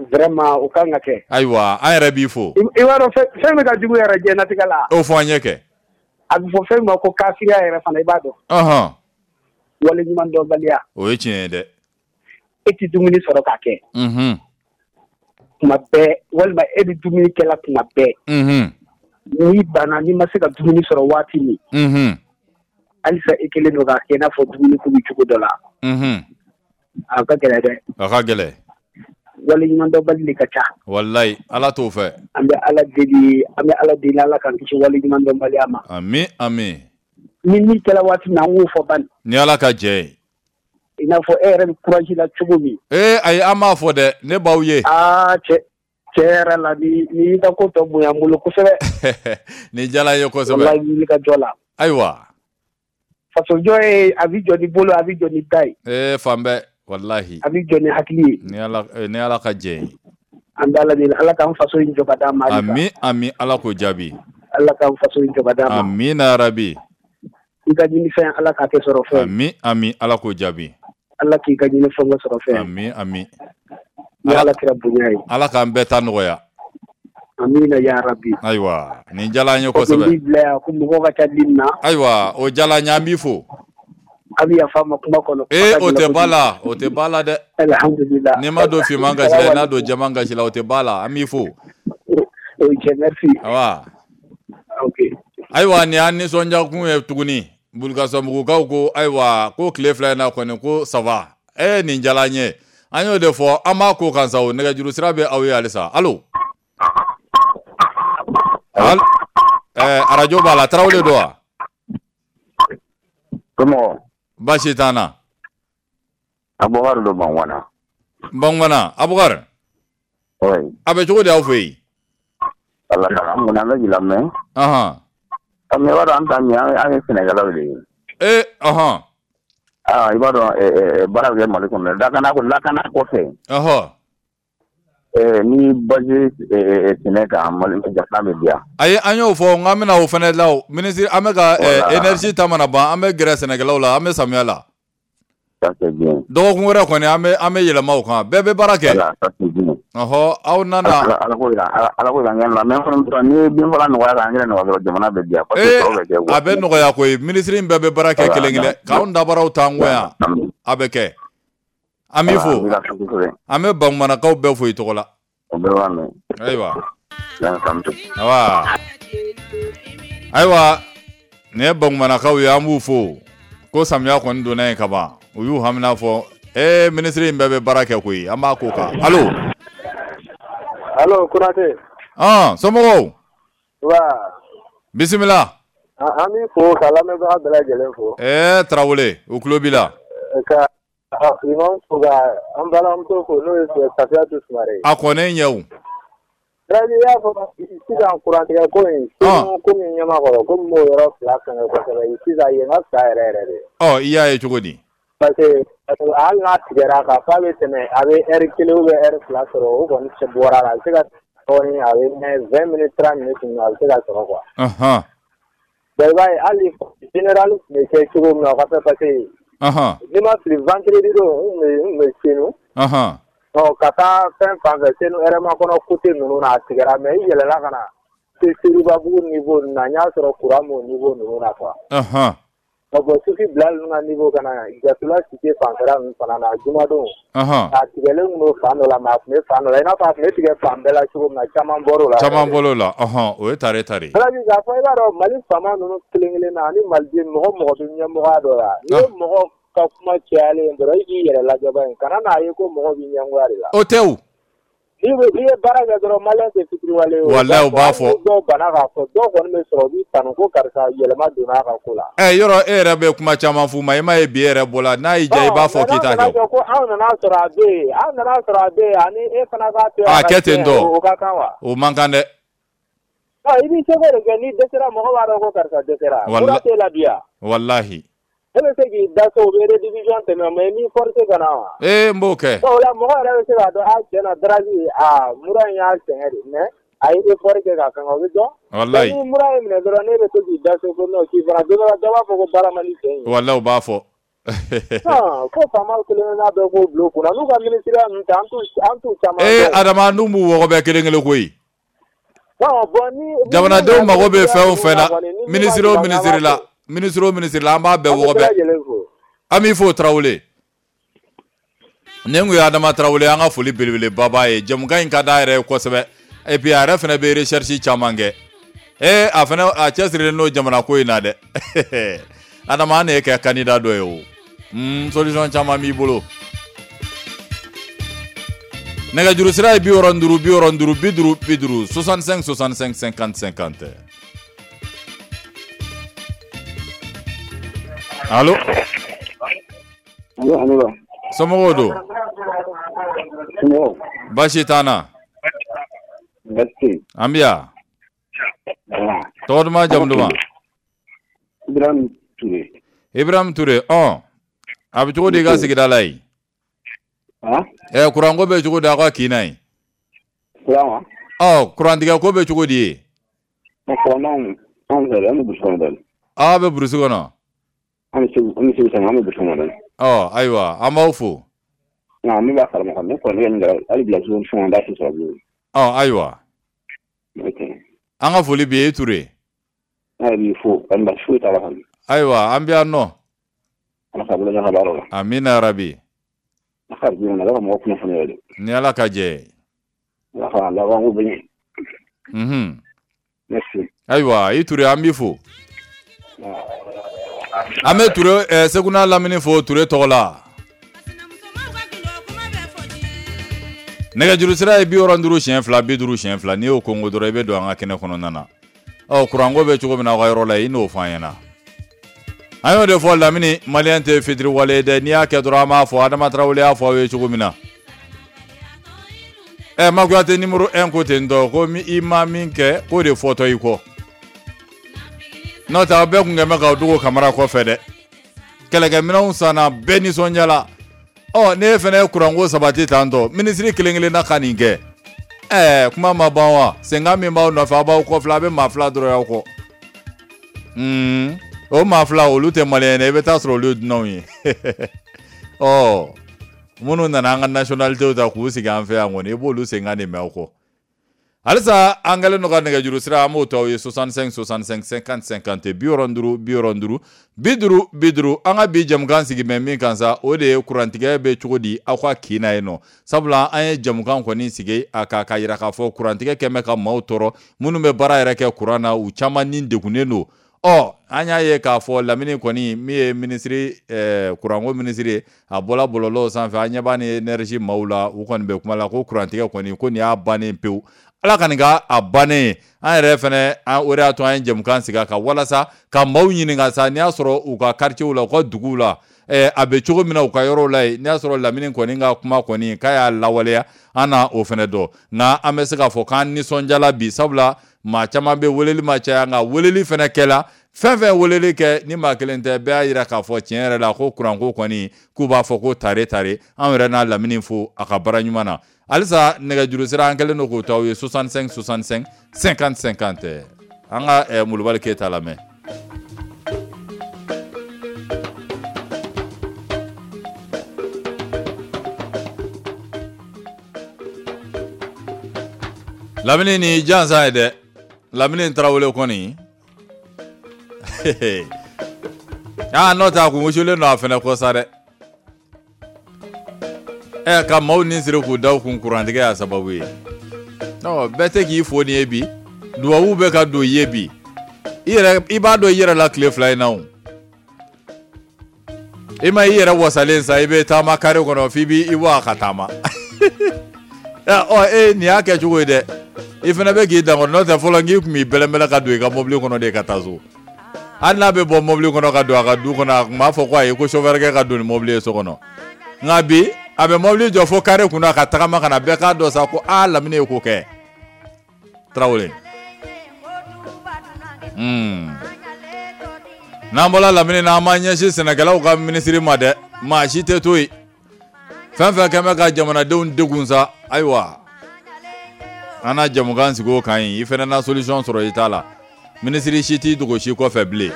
Vraiment o kan ka kɛ. Ayiwa, an yɛrɛ b'i fo. I b'a dɔn fɛn min ka jugu yɛrɛ diɲɛlatigɛ la. O fɔ an ye kɛ. A bɛ fɔ fɛn min ma ko kafiriya yɛrɛ fana, i b'a dɔn. Ɔhɔn. Waleɲuman dɔnbaliya. O ye tiɲɛ ye dɛ. E tɛ dumuni sɔrɔ k'a kɛ. Unhun. Tuma bɛɛ, walima e bɛ dumuni kɛla tuma bɛɛ. Unhun. N'i banna, n'i ma se ka dumuni sɔrɔ waati min. Unhun. Halisa i kɛlen don k'a kɛ i n'a fɔ dumuni ko bɛ cogo dɔ la. Unhun. A ka gɛlɛn dɛ. A ka gɛlɛn. Waleɲumandɔnbali de ka ca. Walayi, Ala t'o fɛ. An bɛ Ala deli, an bɛ Ala deli Ala k'an kisi waleɲumandɔnbaliya ma. Ami ami. Ni min kɛra waati min na, an k'o fɔ bani. Ni Ala ka jɛ ye. I n'a fɔ e yɛrɛ bɛ courage la cogo min. Ee ayi, an m'a fɔ dɛ, ne b'aw ye. Aa cɛ cɛ yɛrɛ la, ni ni y'i ka ko tɔ bonya n bolo kosɛbɛ. Ni diyara n ye kosɛbɛ. Walayi, wuli ka jɔ la. Ayiwa. Fasojɔ ye a bɛ jɔ ni bolo, a bɛ jɔ ni da ye. Ee fan bɛɛ. Walahi. A bɛ jɔ ni hakili ye. Ni Ala ni Ala ka jɛ ye. An bɛ Ala deli, Ala k'an faso in jɔ ka d'an ma. Ami ami, Ala k'o jaabi. Ala k'an faso in jɔ ka d'an ma. Amina rabi. I ka ɲinifɛn, Ala k'a kɛ sɔrɔ fɛn. Ami ami, Ala k'o jaabi. Ala k'i ka ɲinifɛn kɛ sɔrɔ fɛn. Ami ami. Ni Ala kɛra bonya ye. Ala k'an bɛɛ ta nɔgɔya. Amina ya rabi. Ayiwa, nin diyara an ye kosɛbɛ. Ko n b'i bila yan, ko mɔgɔw ka ca ligne na. Ayiwa, o diyara an ye, an b'i fo. A bɛ yafa ma kuma kɔnɔ. Ee, o tɛ ba la, o tɛ ba la dɛ. Alhamdulillah. N'i ma don finman gasi la, n'a don jɛman gasi la, o tɛ ba la, an b'i fo. Ok, merci. Awa. Ok. Ayiwa, nin y'an nisɔndiya kun ye tuguni. Bulukasunbugukaw ko ayiwa, ko tile fila in na kɔni ko ça va. Eh nin jala n ye. An y'o de fɔ an b'a ko kan sa o nɛgɛjuru sira bɛ aw ye halisa. Allo. Allo. Eh arajo b'a la Tarawele don wa? Comment? Baasi t'an na. Abubakar don Bangwana. Bangwana Abubakar. Oui. A bɛ cogo di aw fɛ yen? Ala ka an kɔni an bɛ k'i lamɛn. Ahan. Mais i b'a dɔn an ta min an ye sɛnɛkɛlaw de ye. Eh ahan. Ah i b'a dɔn baara bɛ kɛ Mali kɔnɔ lakana lakana kɔfɛ. Ɔhɔ. Eh ni base sɛnɛ kan Mali jamana bɛ diya. Ayi an y'o fɔ n k'an bɛna o fana la o ministre an bɛ ka énergie ta mana ban an bɛ gɛrɛ sɛnɛkɛlaw la an bɛ samiya la. Ça c'est bien. Dɔgɔkun wɛrɛ kɔni an bɛ an bɛ yɛlɛma o kan bɛɛ bɛ baara kɛ. Voilà, ça c'est bien. Ɔhɔ aw nana. Ala ko yira Ala ko yira an la mais fana ni ye bin fagala nɔgɔya kan an yɛrɛ nɔgɔya dɔrɔn jamana bɛ diya. Ee a bɛ nɔgɔya koyi ministre in bɛɛ bɛ baara kɛ kelen kelen k'anw dabaraw t'an kɔ yan a bɛ kɛ. An b'i fo an bɛ Bangumanakaw bɛɛ fo i tɔgɔ la. O bɛɛ b'a mɛn. Ayiwa. Ayiwa. Ayiwa nin ye Bangumanakaw ye an b'u fo ko samiya kɔni donna yen ka ban u y'u hamina fɔ ee minisiri in bɛɛ bɛ baara kɛ koyi an b'a ko kan. Allo. Allo Konate. Ɔn somɔgɔw. Wa. Bisimila. An b'i fo ka lamɛnbaga bɛɛ lajɛlen fo. Ɛɛ Tarawele u tulo b'i la. Ka imam fo ka an balimamuso fo n'o ye Safiyatu Sumare ye. A kɔni ɲɛ o. Siradi i y'a fɔ sisan kurantigɛ ko in komi ɲɛmakɔrɔ komi m'o yɔrɔ fila fɛngɛ kosɛbɛ sisan yen ka fisa yɛrɛ yɛrɛ de. Ɔ i y'a ye cogo di? Parce que hali n'a tigɛra k'a fɔ a bɛ tɛmɛ a bɛ heure kelen ou bien heure fila sɔrɔ o kɔni bɔra la a bɛ se ka dɔɔnin a bɛ mɛn vingt minutes trente minutes a bɛ se ka sɔrɔ quoi. Ɔnhɔn. Bon i b'a ye hali général tun bɛ kɛ cogo min na o ka fɛ parce que. Ɔnhɔn. N'i ma fili vendredi don n tun bɛ n tun bɛ Senu. Ɔnhɔn. Ɔ ka taa fɛn fan fɛ Senu hɛrɛma kɔnɔ côté ninnu na a tigɛra mais i yɛlɛla ka na se Seribabugu niveau ninnu na n y'a sɔrɔ courant m'o niveau ninnu na quoi. Ɔnhɔn. Ɔ bon Sufi Bilal ninnu ka niveau ka na Jasula Cité fanfɛla ninnu fana na jumadon. Ɔnhɔn. A tigɛlen tun don fan dɔ la mais a tun bɛ fan dɔ la i n'a fɔ a tun bɛ tigɛ fan bɛɛ la cogo min na caman bɔr'o la. Caman bɔr'o la ɔnhɔn o ye tare tare. Alaji k'a fɔ i b'a dɔn Mali faama ninnu kelen kelen na ani Maliden mɔgɔ mɔgɔ bɛ ɲɛmɔgɔya dɔ la n'i ye mɔgɔ ka kuma cayalen dɔrɔn i k'i yɛrɛ lajɛ ba in kana n'a ye ko mɔgɔ b'i ɲɛngoya de la. O tɛ o. N'i bɛ n'i ye baara kɛ dɔrɔn maliyɛn tɛ fitiriwale ye o. Walayi u b'a fɔ. Dɔw banna k'a fɔ dɔw kɔni bɛ sɔrɔ u b'i tanu ko karisa yɛlɛma donna a ka ko la. Ɛ yɔrɔ e yɛrɛ bɛ kuma caman f'u ma i m'a ye bi e yɛrɛ bɔla n'a y'i diya i b'a fɔ k'i t'a kɛ. Ko anw nana sɔrɔ a bɛ yen an nana sɔrɔ a bɛ yen ani e fana k'a to yen. A kɛ ten tɔ o ka kan wa. O man kan dɛ. Ɔ i b'i seko de kɛ n'i dɛsɛra mɔgɔ b'a dɔn ko karisa dɛsɛra. Walahi mura t'e la bi yan. Walahi. E bɛ se k'i da so u bɛ redivision tɛmɛ mais n'i forcé ka na wa. Ee n b'o kɛ. Bon o la mɔgɔ yɛrɛ bɛ se k'a dɔn a tiɲɛ na Darazi aa mura in y'a sɛgɛn de mais a ye effort kɛ k'a fɛngɛ o bɛ dɔn. Walayi. Ni mura y'i minɛ dɔrɔn n'e bɛ to k'i da so ko non k'i fana don dɔ la dɔ b'a fɔ ko baara man di cɛ in ye. Walayi u b'a fɔ. Non ko faamaw kelen kelenna bɛɛ k'o bila u kunna n'u ka ministériya ninnu ta an t'u an t'u caman dɔn. Ee Adama n'u m'u wɔgɔbɛ kelen kelen koyi. Bon bon ni. Jamanadenw mago bɛ fɛn o fɛn na ministre o ministre la. Ministre o ministre la an b'a bɛɛ wɔgɔbɛ an b'i fo Tarawele ne kun ye Adama Tarawele an ka foli belebeleba b'a ye jɛmukan in ka d'a yɛrɛ ye kosɛbɛ et puis a yɛrɛ fana bɛ recherche caman kɛ ee a fana a cɛsirilen don jamana ko in na dɛ Adama an de ye kɛ candidat dɔ ye o mm, solution caman b'i bolo nɛgɛjuru sira ye bi wɔɔrɔ ni duuru bi wɔɔrɔ ni duuru bi duuru bi duuru soixante-cinq soixante-cinq cinquante cinquante. Allo. Allo, allo. Somɔgɔw don? Somɔgɔw. Baasi t'an na. Baasi tɛ yen. An bɛ yan. Tɔgɔ duman jamu duman? Ibrahim Ture. Ibrahim Ture, ɔn. A bɛ cogo di i ka sigida la yen? Han? Ɛ kuranko bɛ cogo di aw ka kin na yen? Kuran wa? Ɔ kurantigɛ ko bɛ cogo di yen? Kuran anw fɛ an bɛ burusi kɔnɔ dɛ. Aw bɛ burusi kɔnɔ? An bɛ Segu an bɛ Segu san an bɛ burusi kɔnɔ dɛ. Ɔ ayiwa an b'aw fo. Nka min b'a kalama kɔni ne kɔni ne kɔni hali bila fɛn an t'a si sɔrɔ bilen. Ɔ ayiwa. An ka foli b'i ye i Ture. Ne yɛrɛ b'i fo kɔni baasi foyi t'a la kɔni. Ayiwa an bɛ yan nɔ. Ala k'a bolo mɛn ka baara la. Amina yarabi. Ala ka jɛ ala ka mɔgɔ kunnafoni yɛrɛ de. Ni Ala ka jɛ ye. Ala ka labanko bɛ ɲɛ. Unhun. Merci. Ayiwa i Ture an b'i fo. An bɛ Ture eh, Segu n'a lamini fo Ture tɔgɔ la. Nɛgɛjuru sira ye bi wɔɔrɔ duuru siɲɛ fila bi duuru siɲɛ fila, n'i y'o kongo dɔrɔn i bɛ don an ka kɛnɛ kɔnɔna na. Ɔ kuranko bɛ cogo min na aw ka yɔrɔ la, i n'o fɔ an ɲɛna. An y'o de fɔ Lamini, maliyɛn tɛ fitiriwale ye dɛ, n'i y'a kɛ dɔrɔn an b'a fɔ, Adama Tarawele y'a fɔ aw ye cogo min na. Ɛ Makuyate numéro un ko ten tɔ, ko i ma min kɛ k'o de fɔtɔ i kɔ. N'o tɛ aw bɛɛ kun kɛn bɛ k'aw dogo Kamara kɔfɛ dɛ. Kɛlɛkɛminɛnw sanna, bɛɛ nisɔndiyala. Ɔ n'e fana ye kuranko sabati tan tɔ, minisiri kelen kelenna ka nin kɛ. Ɛɛ kuma ma ban wa? Senkan min b'aw nɔfɛ, aw b'aw kɔfilɛ, a bɛ maa fila dɔrɔn y'aw kɔ. Un o maa fila olu tɛ maliyɛn ye dɛ, i bɛ taa sɔrɔ olu ye dunanw ye. Ɔ minnu nana an ka nationalité ta k'u sigi an fɛ yan kɔni, i b'olu senkan de mɛn aw kɔ. Halisa an kɛlen don ka nɛgɛjuru sira, an b'o to aw ye soixante-cinq soixante-cinq cinquante cinquante, bi wɔɔrɔ duuru bi wɔɔrɔ duuru bi duuru bi duuru. An ka bi jamukan sigi bɛ min kan sa, o de ye kurantigɛ bɛ cogo di aw ka kin na yen nɔ. Sabula an ye jamukan kɔni sigi a kan ka yira k'a fɔ kurantigɛ kɛn bɛ ka maaw tɔɔrɔ, minnu bɛ baara yɛrɛ kɛ kuran na, u caman ni degunnen don. Ɔ an y'a ye k'a fɔ Lamini kɔni min ye minisiri ɛɛ kuranko minisiri ye, a bɔla bɔlɔlɔw sanfɛ, an ɲɛ b'a ni énergie maaw la, u kɔni bɛ kuma la ko kurantigɛ kɔni ko nin y'a bannen pewu. Ala ka nin k'a a bannen ye. An yɛrɛ fɛnɛ, o de y'a to an ye jamukan sigi a kan walasa ka maaw ɲininka sa, n'i y'a sɔrɔ u ka quartier la, u ka duguw la, ɛɛ a bɛ cogo min na u ka yɔrɔw la yen, n'i y'a sɔrɔ Lamini kɔni ka kuma kɔni k'a y'a lawaleya, an na o fɛnɛ dɔn. Nka an bɛ se k'a fɔ k'an nisɔndiyala bi, sabula maa caman bɛ weleli ma caya, nka weleli fɛnɛ kɛla. Fɛn fɛn weleli kɛ ni maa kelen tɛ, bɛɛ y'a yira k'a fɔ tiɲɛ yɛrɛ la ko kuranko kɔni k'u b'a fɔ ko tare tare. Anw yɛrɛ n'a Lamini fo a ka baara ɲuman na. Halisa nɛgɛjuru sira an kɛlen don k'o to aw ye soixante-cinq soixante-cinq cinquante cinquante. An ka eh, Molobali Keyita lamɛn. Lamini ni jansa ye dɛ, Lamini Tarawele kɔni. Ah n'o tɛ a kun wusulen don a fɛnɛ kɔ sa dɛ. Ɛ ka maaw ni siri k'u da u kun kurantigɛ y'a sababu ye. Ɔ bɛɛ tɛ k'i fo nin ye bi, duwawu bɛ ka don i ye bi. I yɛrɛ i b'a dɔn i yɛrɛ la tile fila in na o. I ma i yɛrɛ wasalen sa, i bɛ taama kare kɔnɔ f'i b'i bɔ a ka taama. Ɔ e nin y'a kɛ cogo ye dɛ. I fana bɛ k'i dan kɔrɔ, n'o tɛ fɔlɔ k'i kun b'i bɛlɛnbɛlɛn ka don i ka mobili kɔnɔ de ka taa so. Hali n'a bɛ bɔ mobili kɔnɔ ka don a ka du kɔnɔ, a kun b'a fɔ ko ayi ko chauffeur kɛ ka don ni mobili ye so kɔnɔ. Nka bi a bɛ mobili jɔ fo kare kunna ka tagama ka na, bɛɛ k'a dɔn sa ko aa Lamini ye ko kɛ. Tarawele. Hmm. N'an bɔra Lamini na, an b'an ɲɛsin sɛnɛkɛlaw ka minisiri ma dɛ, maa si tɛ to yen. Fɛn fɛn kɛn bɛ ka jamanadenw degun sa, ayiwa an na jamukan sigi o kan yen, i fɛnɛ na solution sɔrɔ i ta la. Minisiri si t'i dogo si kɔfɛ bilen.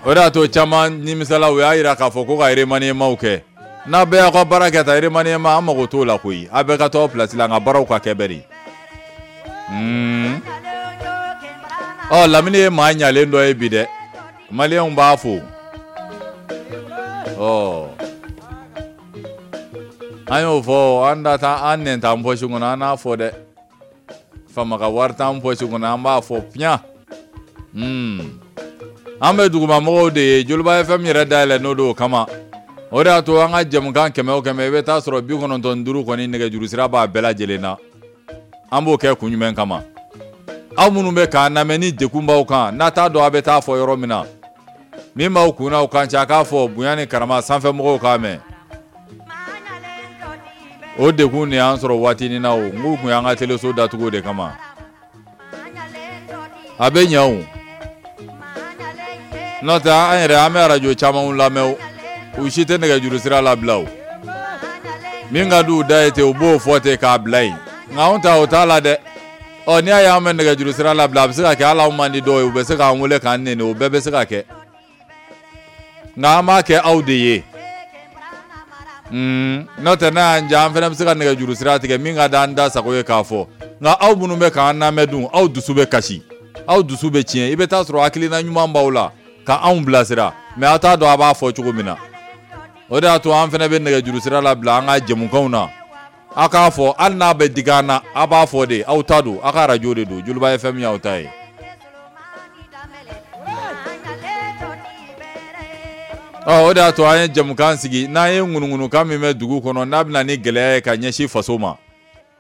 O de y'a to caman nimisala, u y'a yira k'a fɔ ko ka remaniement kɛ. N'a bɛɛ y'aw ka baara kɛ tan, remaniement an mago t'o la koyi. A bɛɛ ka to aw place la, nka baaraw ka kɛ bɛɛ de. Hmm. Ɔ Lamini ye maa ɲalen dɔ ye bi dɛ. Maliyɛnw b'a fo. Ɔ an y'o fɔ, an da t'an an nɛn t'an pɔsi kɔnɔ, an n'a fɔ dɛ. Faama ka wari t'an pɔsi kɔnɔ, an b'a fɔ piyan. Hmm. An bɛ dugumamɔgɔw de ye, Joliba F M yɛrɛ dayɛlɛ n'o don o kama. O de y'a to an ka jamukan kɛmɛ o kɛmɛ, i bɛ taa sɔrɔ bi kɔnɔntɔn ni duuru kɔni nɛgɛjuru sira b'a bɛɛ lajɛlen na. An b'o kɛ kun jumɛn kama? Aw minnu bɛ k'an lamɛn ni degun b'aw kan, n'a t'a dɔn a bɛ taa fɔ yɔrɔ min na, min b'aw kun n'aw kan cɛ, a k'a fɔ bonya ni karama sanfɛmɔgɔw k'a mɛn. O degun de y'an sɔrɔ waatinin na o, n k'u kun y'an ka teleso datugu o de kama. A bɛ ɲɛ o. N'o tɛ an yɛrɛ an bɛ arajo camanw lamɛn o, u si tɛ nɛgɛjuru sira labila o. Min ka di u da ye ten, u b'o fɔ ten k'a bila yen. Nka anw ta o t'a la dɛ. Ɔ n'i y'a ye an bɛ nɛgɛjuru sira labila, a bɛ se ka kɛ hali anw man di dɔw ye, u bɛ se k'an wele k'an nɛni, o bɛɛ bɛ se ka kɛ. Nka an b'a kɛ aw de ye. Mm, n'o tɛ n'a y'an diya, an fana bɛ se ka nɛgɛjuru sira tigɛ min ka d'an da sago ye k'a fɔ. Nka aw minnu bɛ k'an lamɛn dun, aw dusu bɛ kasi, aw dusu bɛ tiɲɛ. I bɛ taa sɔrɔ hakilina ɲuman b'aw la ka anw bilasira, mais aw t'a dɔn a b'a fɔ cogo min na. O de y'a to an fana bɛ nɛgɛjuru sira labila an ka jɛmukanw na. Aw k'a fɔ, hali n'a bɛ digi an na, aw b'a fɔ de, aw ta don, aw ka arajo de don, Joliba F M y'aw ta ye. Ɔ, o de y'a to an ye jamukan sigi. N'an ye ŋunuŋunukan min bɛ dugu kɔnɔ, n'a bɛna ni gɛlɛya ye ka ɲɛsin faso ma,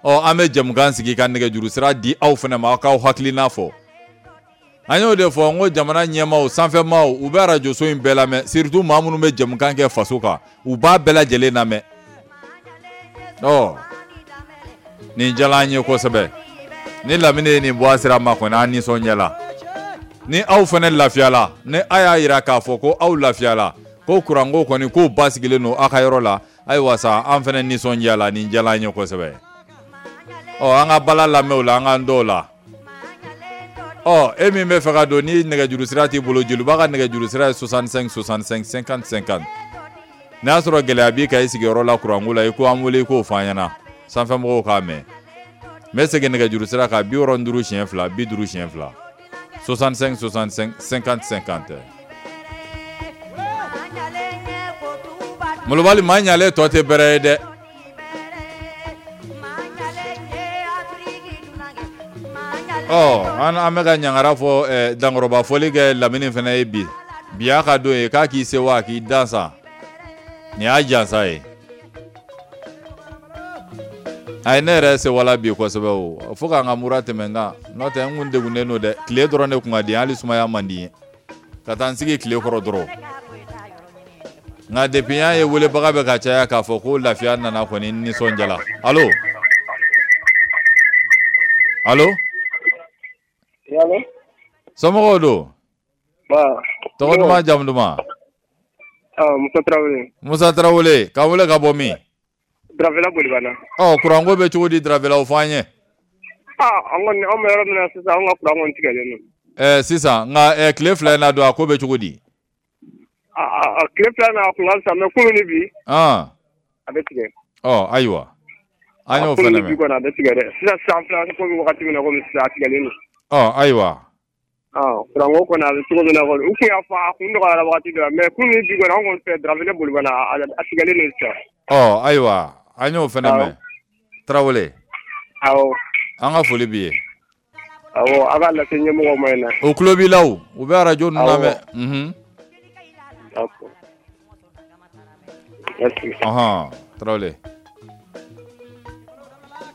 ɔ, an bɛ jamukan sigi ka nɛgɛjuru sira di aw fana ma, aw k'aw hakilina fɔ. An y'o de fɔ n ko jamana ɲɛmaaw, sanfɛmaaw, u bɛ arajoso in bɛɛ lamɛn, surtout maa minnu bɛ jamukan kɛ faso kan, u b'a bɛɛ lajɛlen lamɛn. Ɔ, nin diyara an ye kosɛbɛ. Ni Lamini ye nin bɔ a sira ma kɔni, an nisɔndiyala. Ni aw fana lafiyala, ni a y'a yira k'a fɔ ko aw lafiyala, ko kuranko kɔni k'o basigilen don aw ka yɔrɔ la, ayiwa sa, an fana nisɔndiyala. Nin diyara an ye kosɛbɛ. Ɔ, an ka bala lamɛn o la, an k'an dɔw la. Ɔ, e min bɛ fɛ ka don, ni nɛgɛjuru sira t'i bolo, Joliba ka nɛgɛjuru sira ye soixante-cinq soixante-cinq cinquante cinquante. N'a y'a sɔrɔ gɛlɛya b'i kan i sigiyɔrɔ la kuranko la, i ko an wele, i k'o fɔ an ɲɛna, sanfɛmɔgɔw k'a mɛn. N bɛ segin nɛgɛjuru sira kan: bi wɔɔrɔ ni duuru siɲɛ fila, bi duuru siɲɛ fila, soixante-cinq soixante-cinq cinquante cinquante. Molobali, maa ɲalen tɔ tɛ bɛrɛ ye dɛ. Ɔ, an an bɛ ka ɲangara fɔ, eh, dankɔrɔba fɔli kɛ Lamini fana ye bi. Bi y'a ka don ye, k'a k'i sewa, k'i dan sa. Nin y'a jansa ye. A ye ne yɛrɛ sewala bi kosɛbɛ o. Fo k'an ka mura tɛmɛ n kan. N'o tɛ, n kun degunnen don dɛ. Tile dɔrɔn de kun ka di, hali sumaya man di n ye. Ka taa n sigi tile kɔrɔ dɔrɔn. Nka depuis n y'a ye welebaga bɛ ka caya k'a fɔ ko lafiya nana kɔni, n nisɔndiyala. Allo? Allo? Somɔgɔw don? Tɔgɔ duman, jamu duman? Musa Tarawele. Musa Tarawele, k'an wele ka bɔ min? Dravela Bolibana. Ɔ, kuranko bɛ cogo di Dravela, o fɔ an ye. Ah, an kɔni, anw bɛ yɔrɔ min na sisan, anw ka kuran kɔni tigɛlen don. Ɛɛ sisan, nka ɛɛ tile fila in na don, a ko bɛ cogo di? Ah, tile fila in na a kun ka fisa, mais kunun ni bi. Ah. A bɛ tigɛ. Ɔ, ayiwa. An y'o fana mɛn. Kunun ni bi kɔni a bɛ tigɛ dɛ. Sisan sisan filɛ komi wagati min na komi sisan a tigɛlen don. Ɔ, ayiwa. Kuranko kɔni a bɛ cogo min na kɔni, u kun y'a fɔ a kun nɔgɔyara wagati dɔ la, mais kunun ni bi kɔni anw kɔni fɛ Dravele Bolibana a tigɛlen don sisan. Ɔ, ayiwa, an y'o fana mɛn. Tarawele. Awɔ. An ka foli b'i ye. Awɔ, a b'a lase ɲɛmɔgɔw ma yen nɔ. O tulo b'i la o, u bɛ arajo ninnu lamɛn. Unhun. D'accord. Merci. Ɔhɔn, Tarawele.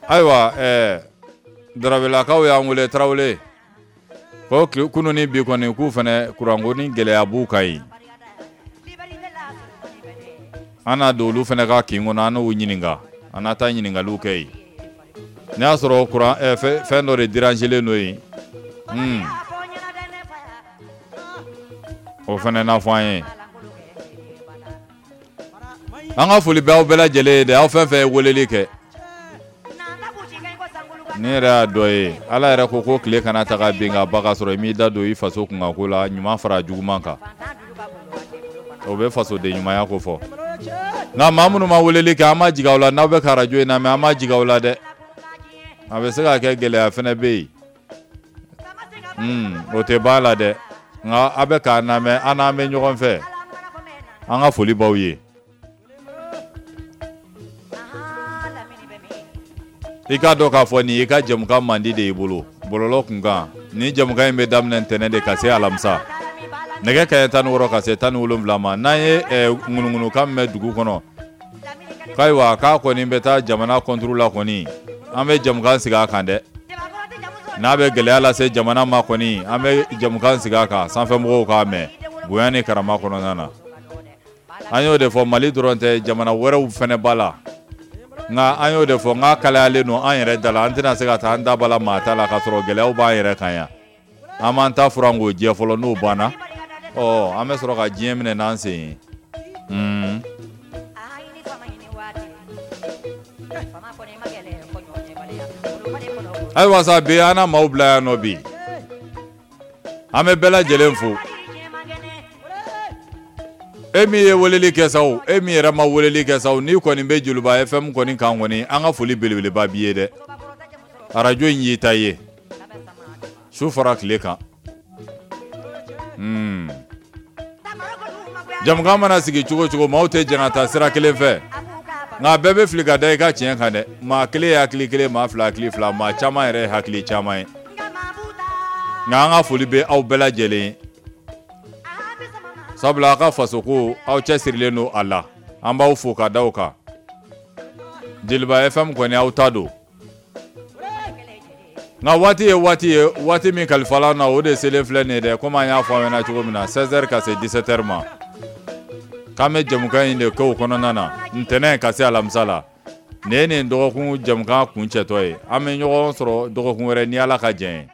Ayiwa, ɛɛ Daravelakaw y'an wele Tarawele. Ko kunun ni bi kɔni k'u fana kuranko ni gɛlɛya b'u kan yen. An n'a don olu fana ka kin kɔnɔ, an n'u ɲininka, an n'a taa ɲininkaliw kɛ yen. N'a y'a sɔrɔ kuran ɛɛ fɛn dɔ de dérangelen don yen. Hmm. O fana n'a fɔ an ye. An ka foli bɛ aw bɛɛ lajɛlen ye dɛ, aw fɛn fɛn ye weleli kɛ. Ni yɛrɛ y'a dɔ ye, Ala yɛrɛ ko ko tile kana taga bin ka ba ka sɔrɔ i m'i da don i faso kunkanko la, ɲuman fara juguman kan. O bɛ fasoden ɲumanya ko fɔ. Nka maa minnu ma weleli kɛ, an ma jigin aw la. N'aw bɛ ka arajo in lamɛn, an ma jigin aw la dɛ. A bɛ se ka kɛ gɛlɛya fana bɛ yen. Hmm, o tɛ ban la dɛ. Nka a bɛ k'an lamɛn, an n'an bɛ ɲɔgɔn fɛ. An ka foli b'aw ye. I k'a dɔn k'a fɔ nin y'i ka jamukan mandi de y'i bolo bɔlɔlɔ kunkan. Nin jamukan in bɛ daminɛ ntɛnɛn de ka se alamisa nɛgɛ kanɲɛ tan ni wɔɔrɔ ka se tan ni wolonwula ma. N'an ye ŋunuŋunukan mɛn dugu kɔnɔ k'ayiwa k'a kɔni bɛ taa jamana kɔnturu la kɔni, an bɛ jamukan sigi a kan dɛ. N'a bɛ gɛlɛya lase jamana ma kɔni, an bɛ jamukan sigi a kan, sanfɛmɔgɔw k'a mɛn bonya ni karama kɔnɔna na. An y'o de fɔ, Mali dɔrɔn tɛ, jamana wɛrɛw fana b'a la. Nka an y'o de fɔ, n k'a kalayalen don an yɛrɛ da la, an tɛna se ka taa an da bala maa ta la k'a sɔrɔ gɛlɛyaw b'an yɛrɛ kan yan. An b'an ta furan k'o jɛ fɔlɔ, n'o banna, ɔ, an bɛ sɔrɔ ka diɲɛ minɛ n'an sen ye. Mm. Ayiwa sa, bi an na maaw bila yan nɔ bi. An bɛ bɛɛ lajɛlen fo. E min ye weleli kɛ sa o, e min yɛrɛ ma weleli kɛ sa o, n'i kɔni bɛ Joliba F M kɔni kan kɔni, an ka foli belebeleba b'i ye dɛ. Arajo in y'i ta ye. Su fara tile kan. Hmm. Jamukan mana sigi cogo cogo, maaw tɛ jɛn ka taa sira kelen fɛ. Nka bɛɛ bɛ fili ka da i ka tiɲɛ kan dɛ. Maa kelen ye hakili kelen, maa fila hakili fila, maa caman yɛrɛ ye hakili caman ye. Nka an ka foli bɛ aw bɛɛ lajɛlen ye. Sabula a ka fasoko aw cɛsirilen don a la, an b'aw fo ka da o kan. Jeliba F M kɔni aw ta don. Nka waati ye waati ye, waati min kalifala na o de selen filɛ nin ye dɛ, komi an y'a fɔ aw ɲɛna cogo min na, seize heures ka se dix-sept heures ma. K'an bɛ jɛmukan in de kɛ o kɔnɔna na, ntɛnɛn ka se alamisa la. Nin ye nin dɔgɔkun jɛmukan kuncɛtɔ ye. An bɛ ɲɔgɔn sɔrɔ dɔgɔkun wɛrɛ ni Ala ka jɛn ye.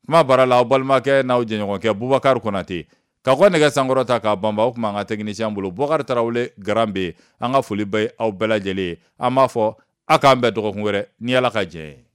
Kuma baara la, aw balimakɛ n'aw jɛɲɔgɔnkɛ Bubakari Konate. Ka kɔ nɛgɛ sankɔrɔta k'a banba, o tuma an ka technicien bolo Bubakari Tarawele Garan bɛ. An ka foli bɛ aw bɛɛ lajɛlen ye. An b'a fɔ a k'an bɛn dɔgɔkun wɛrɛ ni Ala ka jɛn ye.